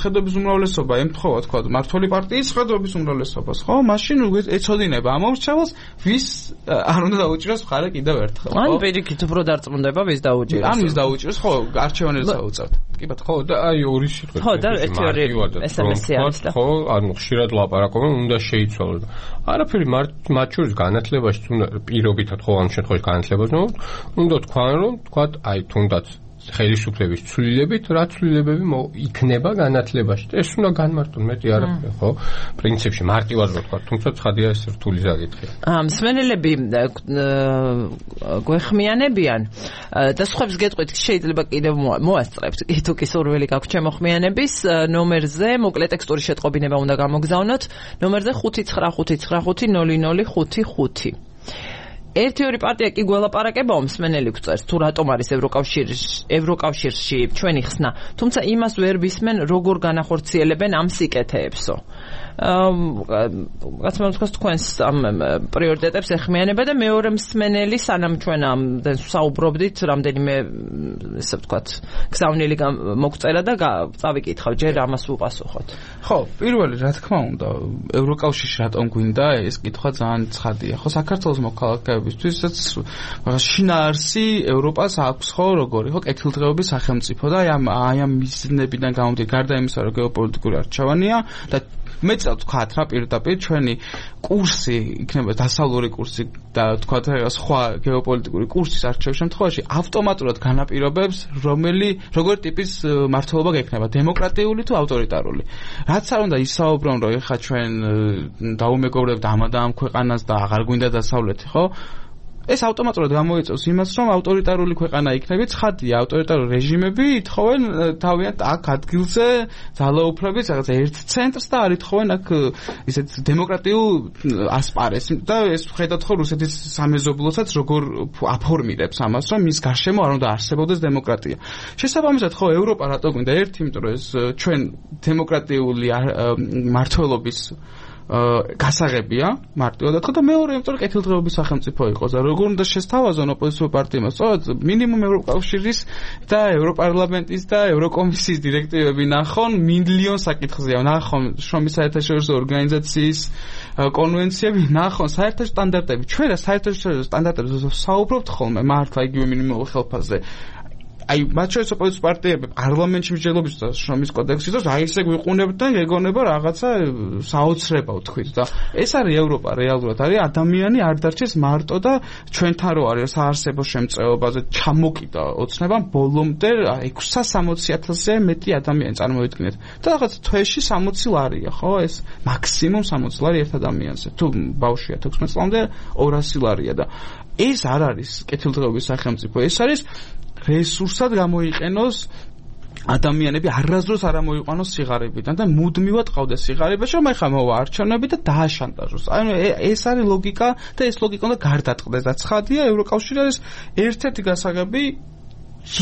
ხედვების უმრავლესობა ემთხოვა თქვა მართველი პარტიის ხედვების უმრავლესობას, ხო? მაშინ ეცოდინება ამ ორჩეულს, ვის არ უნდა დაუჭიროს მხარე კიდევ ერთხელ, ხო? ან პირიქით უფრო დარწმუნდება ვის დაუჭიროს. ან ვის დაუჭიროს, ხო, არჩევანებს აუწევთ. კი ბატონო. ხო, და აი ორი სიტყვით. ხო, და ერთი ორი ესემესი არის და. ხო, ანუ ხშირად ლაპარაკობენ, უნდა შეიცვალოს. არაფერი მათ შორის განათლებაში უნდა პირობითად ხო ამ შემთხვევაში განათლებაზე უნდა თქვან რომ თქვათ აი თუნდაც ხელისუფლების ცვლილებით რა ცვლილებები იქნება განათლებაში და ეს უნდა განმარტონ მეტი არაფერი ხო პრინციპში მარტივად რო თქვა თუმცა ცხადია ეს რთული საკითხია ამ მსმენელები გვეხმიანებიან და სხვებს გეტყვით შეიძლება კიდევ მოასწრებთ თუ კი სურვილი გაქვთ ჩემო ხმიანების ნომერზე მოკლე ტექსტური შეტყობინება უნდა გამოგზავნოთ ნომერზე ხუთი ცხრა ხუთი ცხრა ხუთი ნული ნული ხუთი ხუთი ერთი ორი პარტია კი გველაპარაკებაო მსმენელი გვწერს თუ რატომ არის ევროკავშირში ევროკავშირში ჩვენი ხსნა თუმცა იმას ვერ ვისმენ როგორ განახორციელებენ ამ სიკეთეებსო რაც მომთქვას თქვენს ამ პრიორიტეტებს ეხმიანება და მეორე მსმენელი სანამ ჩვენ ამ საუბრობდით რამდენიმე ესე ვთქვათ გზავნილი მოგწერა და წავიკითხავ ჯერ ამას უპასუხოთ ხო პირველი რა თქმა უნდა ევროკავშირში რატომ გვინდა ეს კითხვა ძალიან ცხადია ხო საქართველოს მოქალაქეებისთვისაც შინაარსი ევროპას აქვს ხო როგორი ხო კეთილდღეობის სახელმწიფო და აი ამ აი ამ მიზნებიდან გამომდინარე გარდა იმისა რომ გეოპოლიტიკური არჩევანია და მეც ვთქვათ რა პირდაპირ ჩვენი კურსი იქნება დასავლური კურსი და ვთქვათ სხვა გეოპოლიტიკური კურსის არჩევის შემთხვევაში ავტომატურად განაპირობებს რომელი როგორ ტიპის მმართველობა გექნება დემოკრატიული თუ ავტორიტარული რაც არ უნდა ისაუბრონ რომ ეხა ჩვენ დაუმეგობრებთ ამ და ამ ქვეყანას და აღარ გვინდა დასავლეთი ხო ეს ავტომატურად გამოიწვევს იმას, რომ ავტორიტარული ქვეყანა იქნებით, ცხადია, ავტორიტარული რეჟიმები ითხოვენ თავიანთ აქ ადგილზე ძალაუფლების რაღაც ერთ ცენტრს და არ ითხოვენ აქ ისეთ დემოკრატიულ ასპარეს და ეს ხედავთ ხო რუსეთის სამეზობლოსაც როგორ აფორმირებს ამას, რომ მის გარშემო არ უნდა არსებობდეს დემოკრატია. შესაბამისად ხო ევროპა რატო გვინდა ერთი, იმიტომ რომ ეს ჩვენ დემოკრატიული მმართველობის გასაღებია მარტივად თქვა და მეორე იმიტომ რომ კეთილდღეობის სახელმწიფო იყოს და როგორ უნდა შესთავაზონ ოპოზიციურ პარტიებმა სწორედ მინიმუმ ევროკავშირის და ევროპარლამენტის და ევროკომისიის დირექტივები ნახონ მილიონ საკითხზეა ნახონ შრომის საერთაშორისო ორგანიზაციის კონვენციები ნახონ საერთაშორისო სტანდარტები ჩვენ რა საერთაშორისო სტანდარტებზე საუბრობთ ხოლმე მართლა იგივე მინიმუმ ხელფასზე აი მათ შორის ოპოზიციურ პარტიები პარლამენტში მსჯელობის და შრომის კოდექსის დროს აი ესე გვიყუნებთ და გეგონება რაღაცა საოცრება ვთქვით და ეს არის ევროპა რეალურად არის ადამიანი არ დარჩეს მარტო და ჩვენთან რო არის საარსებო შემწეობაზე ჩამოკიდა ოცნება ბოლომდე ექვსსა სამოცი ათასზე მეტი ადამიანი წარმოვიდგინეთ და რაღაც თვეში სამოცი ლარია ხო ეს მაქსიმუმ სამოცი ლარი ერთ ადამიანზე თუ ბავშვია თექვსმეტ წლამდე ორასი ლარია და ეს არ არის კეთილდღეობის სახელმწიფო ეს არის რესურსად გამოიყენოს ადამიანები არასდროს არ ამოიყვანოს სიღარიბიდან და მუდმივად ყავდეს სიღარიბეში რომ ეხლა მოვა არჩევნები და დააშანტაჟოს. ანუ ეს არის ლოგიკა და ეს ლოგიკა უნდა გარდატყდეს და ცხადია ევროკავშირი არის ერთ-ერთი გასაღები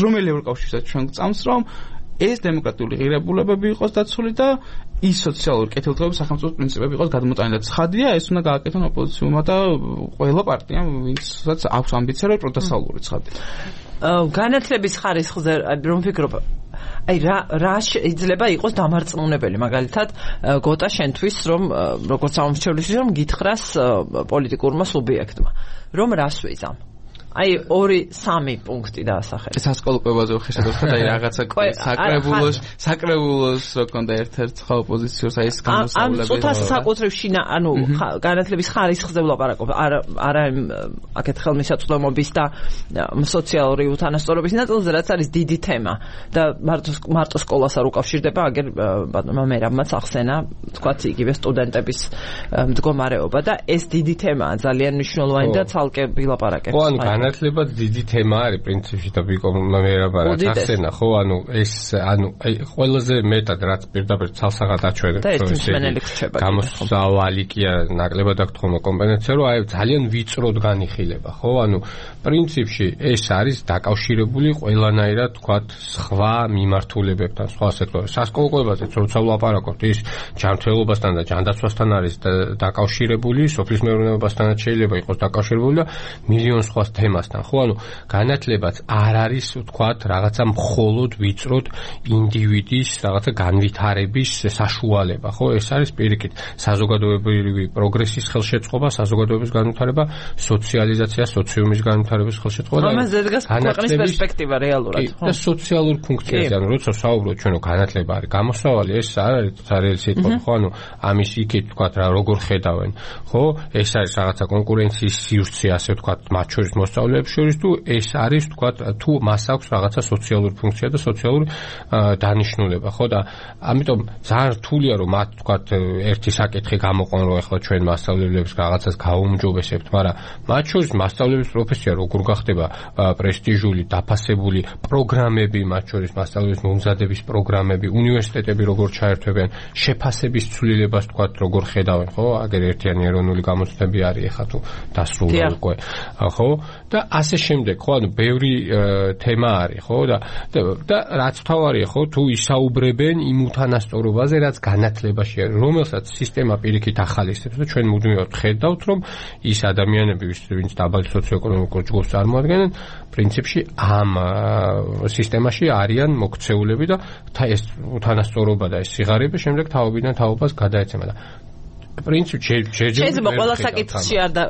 რომელი ევროკავშირსაც ჩვენ გწამს რომ ეს დემოკრატიული ღირებულებები იყოს დაცული და ის სოციალური კეთილდღეობის სახელმწიფო პრინციპები იყოს გადმოტანილი და ცხადია ეს უნდა გააკეთონ ოპოზიციურმა და ყველა პარტიამ ვინცაც აქვს ამბიცია რომ პროტესტალური ცხადია. განათლების ხარისხზე რომ ვფიქრობ აი რა რა შეიძლება იყოს დამარწმუნებელი მაგალითად გოტა შენთვის რომ როგორც სამომრჩევლის რომ გითხრას პოლიტიკურმა სუბიექტმა რომ რას ვიზამ აი ორი სამი პუნქტი დაასახელე. სასკოლო კვებაზე ხეშადოთ და აი რაღაცა საკრებულოს საკრებულოს როკონდა ერთ-ერთ ხო ოპოზიციურს აი ეს განსწავლები. ამ წუთას საკუთრივ შინა ანუ განათლების ხარისხზე ვლაპარაკობ არა არა აქეთ ხელმისაწვდომობის და სოციალური უთანასწორობის ნაწილზე რაც არის დიდი თემა და მარტო მარტო სკოლას არ უკავშირდება აგერ ბატონმა მერაბმაც ახსენა თქვათ იგივე სტუდენტების მდგომარეობა და ეს დიდი თემაა ძალიან მნიშვნელოვანი და ცალკე ვილაპარაკებ. განათლება დიდი თემა არის პრინციპში და ვიკო მერაბარად ახსენა ხო ანუ ეს ანუ აი ყველაზე მეტად რაც პირდაპირ ცალსაღად აჩვენებს გამოსავალი კი არა ნაკლებად აქვს თქმა კომპენსაცია რომ აი ძალიან ვიწროდ განიხილება ხო ანუ პრინციპში ეს არის დაკავშირებული ყველანაირად თქვათ სხვა მიმართულებებთან სხვა სექტორებთან სასკოლო კვებაზეც როცა ვლაპარაკობთ ის ჯანმრთელობასთან და ჯანდაცვასთან არის დაკავშირებული სოფლის მეურნეობასთანაც შეიძლება იყოს დაკავშირებული და მილიონ სხვა თემასთან ხო ანუ განათლებაც არ არის ვთქვათ რაღაცა მხოლოდ ვიწროდ ინდივიდის რაღაცა განვითარების საშუალება ხო ეს არის პირიქით საზოგადოებრივი პროგრესის ხელშეწყობა საზოგადოების განვითარება სოციალიზაცია სოციუმის განვითარების ხელშეწყობა და ამაზე დგას ქვეყნის პერსპექტივა რეალურად ხო და სოციალურ ფუნქციაზე ანუ როცა საუბრობთ ჩვენ რომ განათლება არის გამოსავალი ეს არ არის ძალიან სიტყვა ხო ანუ ამის იქით ვთქვათ რა როგორ ხედავენ ხო ეს არის რაღაცა კონკურენციის სივრცე ასე ვთქვათ მათ შორის მოსწავლეებს შორის თუ ეს არის თქვა თუ მას აქვს რაღაცა სოციალური ფუნქცია და სოციალური დანიშნულება ხო და ამიტომ ძალიან რთულია რომ მათ თქვა ერთი საკითხი გამოყონ რომ ახლა ჩვენ მასწავლებლებს რაღაცას გაუმჯობესებთ მაგრამ მათ შორის მასწავლებლის პროფესია როგორ გახდება პრესტიჟული დაფასებული პროგრამები მათ შორის მასწავლებლების მომზადების პროგრამები უნივერსიტეტები როგორ ჩაერთვებიან შეფასების ცვლილებას თქვა როგორ ხედავენ ხო აგერ ერთიანი ეროვნული გამოცდები არის ახლა თუ დასრულდა უკვე ხო და ასე შემდეგ ხო ანუ ბევრი თემა არის ხო და და რაც თავარია ხო თუ ისაუბრებენ იმ უთანასწორობაზე რაც განათლებაში არის რომელსაც სისტემა პირიქით ახალისებს და ჩვენ მუდმივად ხედავთ რომ ის ადამიანები ვინც დაბალ სოციოეკონომიკურ ჯგუფს წარმოადგენენ პრინციპში ამ სისტემაში არიან მოქცეულები და ეს უთანასწორობა და ეს სიღარიბე შემდეგ თაობიდან თაობას გადაეცემა და პრინციპში შეიძლება ყველა საკითხში არ და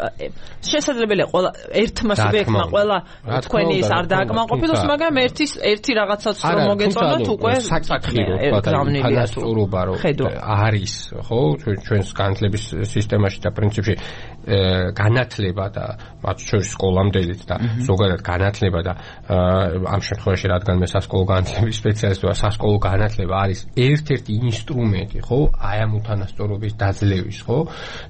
შესაძლებელია ყველა ერთმა სუბიექტმა ყველა თქვენი ის არ დააკმაყოფილოს მაგრამ ერთის ერთი რაღაცაც რომ მოგეწონოთ უკვე საკითხი რო თანასწორობა რო არის ხო ჩვენს განათლების სისტემაში და პრინციპში განათლება და მათ შორის სკოლამდელიც და ზოგადად განათლება და ამ შემთხვევაში რადგან მე სასკოლო განათლების სპეციალისტი ვარ სასკოლო განათლება არის ერთ-ერთი ინსტრუმენტი ხო აი ამ უთანასწორობის დაძლევის ხო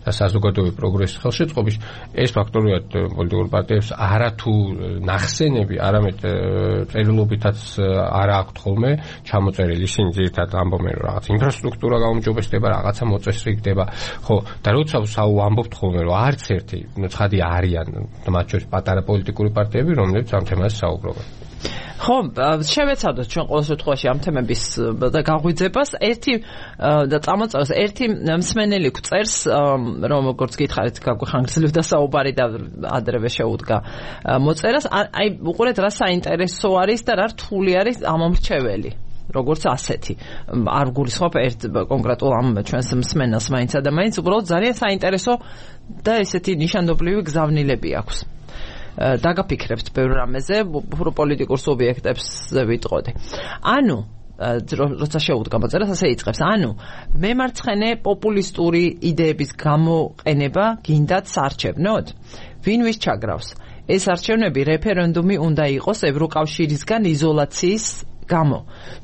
და საზოგადოებრივი პროგრესის ხელშეწყობის ეს ფაქტორიად პოლიტიკურ პარტიებს არა თუ ნახსენები არამედ წერილობითაც არ აქვთ ხოლმე ჩამოწერილი ისინი ძირითადად ამბობენ რომ რაღაც ინფრასტრუქტურა გაუმჯობესდება რაღაცა მოწესრიგდება ხო და როცა ვამბობთ ხოლმე რომ არც ერთი ცხადია არიან მათ შორის პატარა პოლიტიკური პარტიები რომლებიც ამ თემაზე საუბრობენ ხო, შევეცადოთ ჩვენ ყოველ შემთხვევაში ამ თემების და გაღვიძებას. ერთი და წამოწევს ერთი მსმენელი გვწერს, რომ როგორც გითხარით, გაგვიხანგრძლივდა საუბარი და ადრევე შეუდგა მოწერას. აი, უყურეთ რა საინტერესო არის და რა რთული არის ამომრჩეველი. როგორც ასეთი. არ გულისხმობ ერთ კონკრეტულ ამ ჩვენს მსმენელს მაინც და მაინც უბრალოდ ძალიან საინტერესო და ესეთი ნიშანდობლივი გზავნილები აქვს. დაგაფიქრებთ ბევრ რამეზე, უფრო პოლიტიკურ სუბიექტებზე ვიტყოდი. ანუ როცა შეუდგა მოწერას, ასე იწყებს. ანუ მემარცხენე პოპულისტური იდეების გამოყენება გინდათ საარჩევნოდ? ვინ ვის ჩაგრავს? ეს არჩევნები რეფერენდუმი უნდა იყოს ევროკავშირისგან იზოლაციის გამო.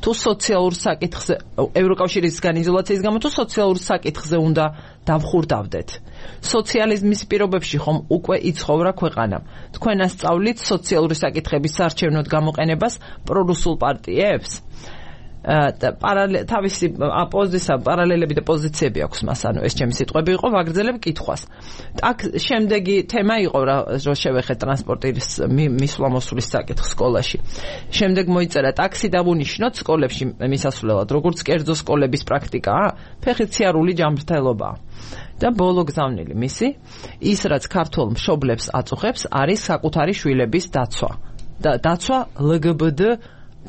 თუ სოციალურ საკითხზე ევროკავშირისგან იზოლაციის გამო თუ სოციალურ საკითხზე უნდა დავხურდავდეთ. სოციალიზმის პირობებში ხომ უკვე იცხოვრა ქვეყანა. თქვენ ასწავლით სოციალური საკითხების საარჩევნოდ გამოყენებას პრორუსულ პარტიებს? და პარალელ თავისი აპოზიცია პარალელები და პოზიციები აქვს მას, ანუ ეს ჩემი სიტყვები იყო, ვაგრძელებ კითხვას. აქ შემდეგი თემა იყო რა შევეხეთ ტრანსპორტის მისვლა-მოსვლის საკითხ სკოლაში. შემდეგ მოიწერა ტაქსი დავუნიშნოთ სკოლებში მისასვლელად, როგორც კერძო სკოლების პრაქტიკაა, ფეხიციარული ჯანმრთელობაა. და ბოლო გზავნილი მისი, ის რაც ქართულ მშობლებს აწუხებს, არის საკუთარი შვილების დაცვა. და დაცვა ელ გი ბი დე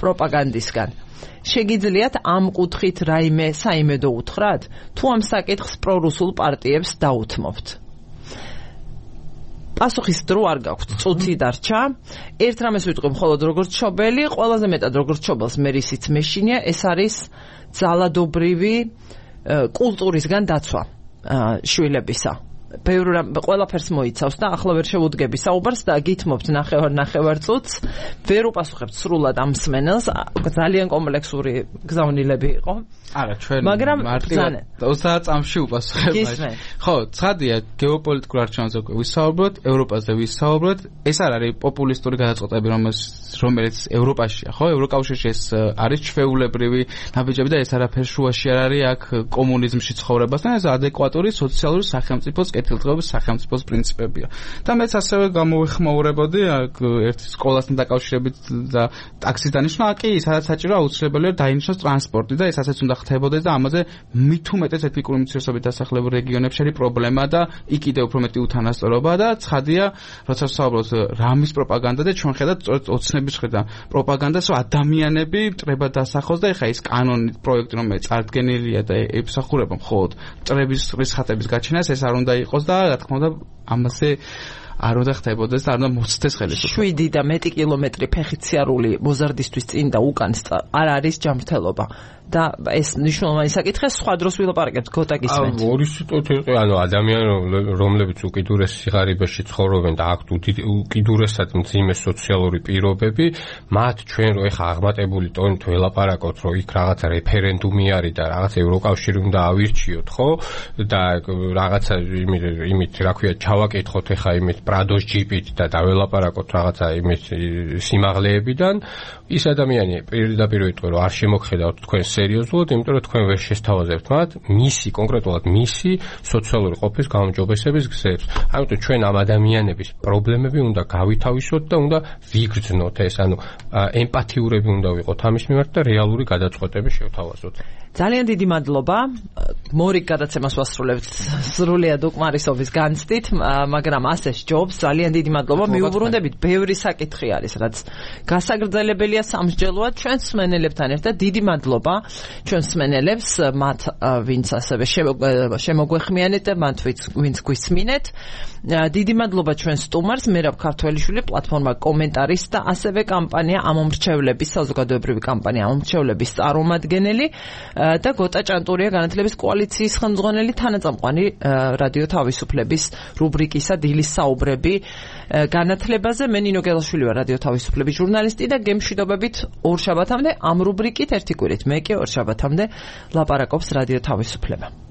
პროპაგანდისგან. შეგიძლიათ ამ კუთხით რაიმე საიმედო უთხრათ, თუ ამ საკითხს პრორუსულ პარტიებს დაუთმობთ? პასუხის დრო არ გაქვთ, წუთი დარჩა. ერთ რამეს ვიტყვი მხოლოდ როგორც მშობელი, ყველაზე მეტად როგორც მშობელს მე რისიც მეშინია, ეს არის ძალადობრივი კულტურისგან დაცვა შვილებისა. ბევრ ყველაფერს მოიცავს და ახლა ვერ შევუდგები საუბარს და გითმობთ ნახევარ ნახევარ წუთს, ვერ უპასუხებთ სრულად ამ მსმენელს, ძალიან კომპლექსური გზავნილები იყო. არა, ჩვენ მაგრამ ოცდაათ წამში უპასუხებ. ხო, ცხადია, გეოპოლიტიკურ არჩევნებზე ვისაუბროთ, ევროპაზე ვისაუბროთ, ეს არ არის პოპულისტური გადაწყვეტები, რომელიც ევროპაშია, ხო? ევროკავშირში ეს არის ჩვეულებრივი ნაბიჯები და ეს არაფერ შუაში არ არის აქ კომუნიზმში ცხოვრებასთან, ეს ადეკვატური სოციალური სახელმწიფოს კეთილდღეობის სახელმწიფოს პრინციპებია. და მეც ასევე გამოვეხმაურებოდი აქ ერთ სკოლასთან დაკავშირებით და ტაქსის დანიშვნა კი, სადაც საჭირო აუცილებელია დაინიშნოს ტრანსპორტი და ეს ასეც უნდა ხდებოდეს და ამაზე მით უმეტეს ეთნიკური უმცირესობებით დასახლებულ რეგიონებში არის პრობლემა და იქ კიდევ უფრო მეტი უთანასწორობა და ცხადია, როცა ვსაუბრობთ რამის პროპაგანდა და ჩვენ ხედავთ სწორედ ოცნების ხედავ პროპაგანდას, რომ ადამიანები მტრებად დასახოს და ეხა ის კანონი პროექტი რომელიც წარდგენილია და ემსახურება მხოლოდ მტრების რისხატების გაჩენას, ეს არ უნდა იყოს და რა თქმა უნდა ამაზე არ უნდა ხდებოდეს და არ უნდა მოცდეს ხელისუფლება. შვიდი და მეტი კილომეტრი ფეხიციარული მოზარდისთვის წინ და უკან არ არის ჯანმრთელობა. და ეს მნიშვნელოვანი საკითხია, სხვა დროს ვილაპარაკებთ, გოტა გისმენთ. ანუ ორი სიტყვით იყო, ანუ ადამიანები, რომლებიც უკიდურეს სიღარიბეში ცხოვრობენ და აქვთ უკიდურესად მძიმე სოციალური პირობები, მათ ჩვენ რო ეხა აღმატებული ტონით ველაპარაკოთ, რომ იქ რაღაცა რეფერენდუმი არის და რაღაცა ევროკავშირი უნდა ავირჩიოთ, ხო? და რაღაცა იმით, იმით რა ქვია, ჩავაკითხოთ ეხა იმით პრადოს ჯიპით და დაველაპარაკოთ რაღაცა იმით სიმაღლეებიდან, ის ადამიანი პირდაპირ ვიტყვი, რომ არ შემოგხედავთ თქვენ სერიოზულად, იმიტომ რომ თქვენ ვერ შესთავაზებთ მათ მისი, კონკრეტულად მისი სოციალური ყოფის გაუმჯობესების გზებს. ამიტომ ჩვენ ამ ადამიანების პრობლემები უნდა გავითავისოთ და უნდა ვიგრძნოთ ეს, ანუ ემპათიურები უნდა ვიყოთ ამის მიმართ და რეალური გადაწყვეტები შევთავაზოთ. ძალიან დიდი მადლობა. მორიგ გადაცემას ვასრულებთ სრულიად უკმარისობის განცდით, მაგრამ ასე სჯობს. ძალიან დიდი მადლობა. მიუბრუნდებით, ბევრი საკითხი არის, რაც გასაგრძელებელია სამსჯელოა ჩვენ მსმენელებთან ერთად. დიდი მადლობა ჩვენ მსმენელებს, მათ ვინც ასევე შემოგვეხმიანეთ და მათ ვინც გვისმინეთ. დიდი მადლობა ჩვენ სტუმარს, მერაბ ქართველიშვილი, პლატფორმა კომენტარის და ასევე კამპანია ამომრჩევლების, საზოგადოებრივი კამპანია ამომრჩევლების წარმომადგენელი და გოტა ჭანტურია, განათლების კოალიციის ხელმძღვანელი, თანაწამყვანი რადიო თავისუფლების რუბრიკისა დილის საუბრები განათლებაზე. მე ნინო გელაშვილი ვარ, რადიო თავისუფლების ჟურნალისტი და გემშვიდობებით ორ შაბათამდე ამ რუბრიკით ერთი კვირით. მე კი ორ შაბათამდე ლაპარაკობს რადიო თავისუფლება.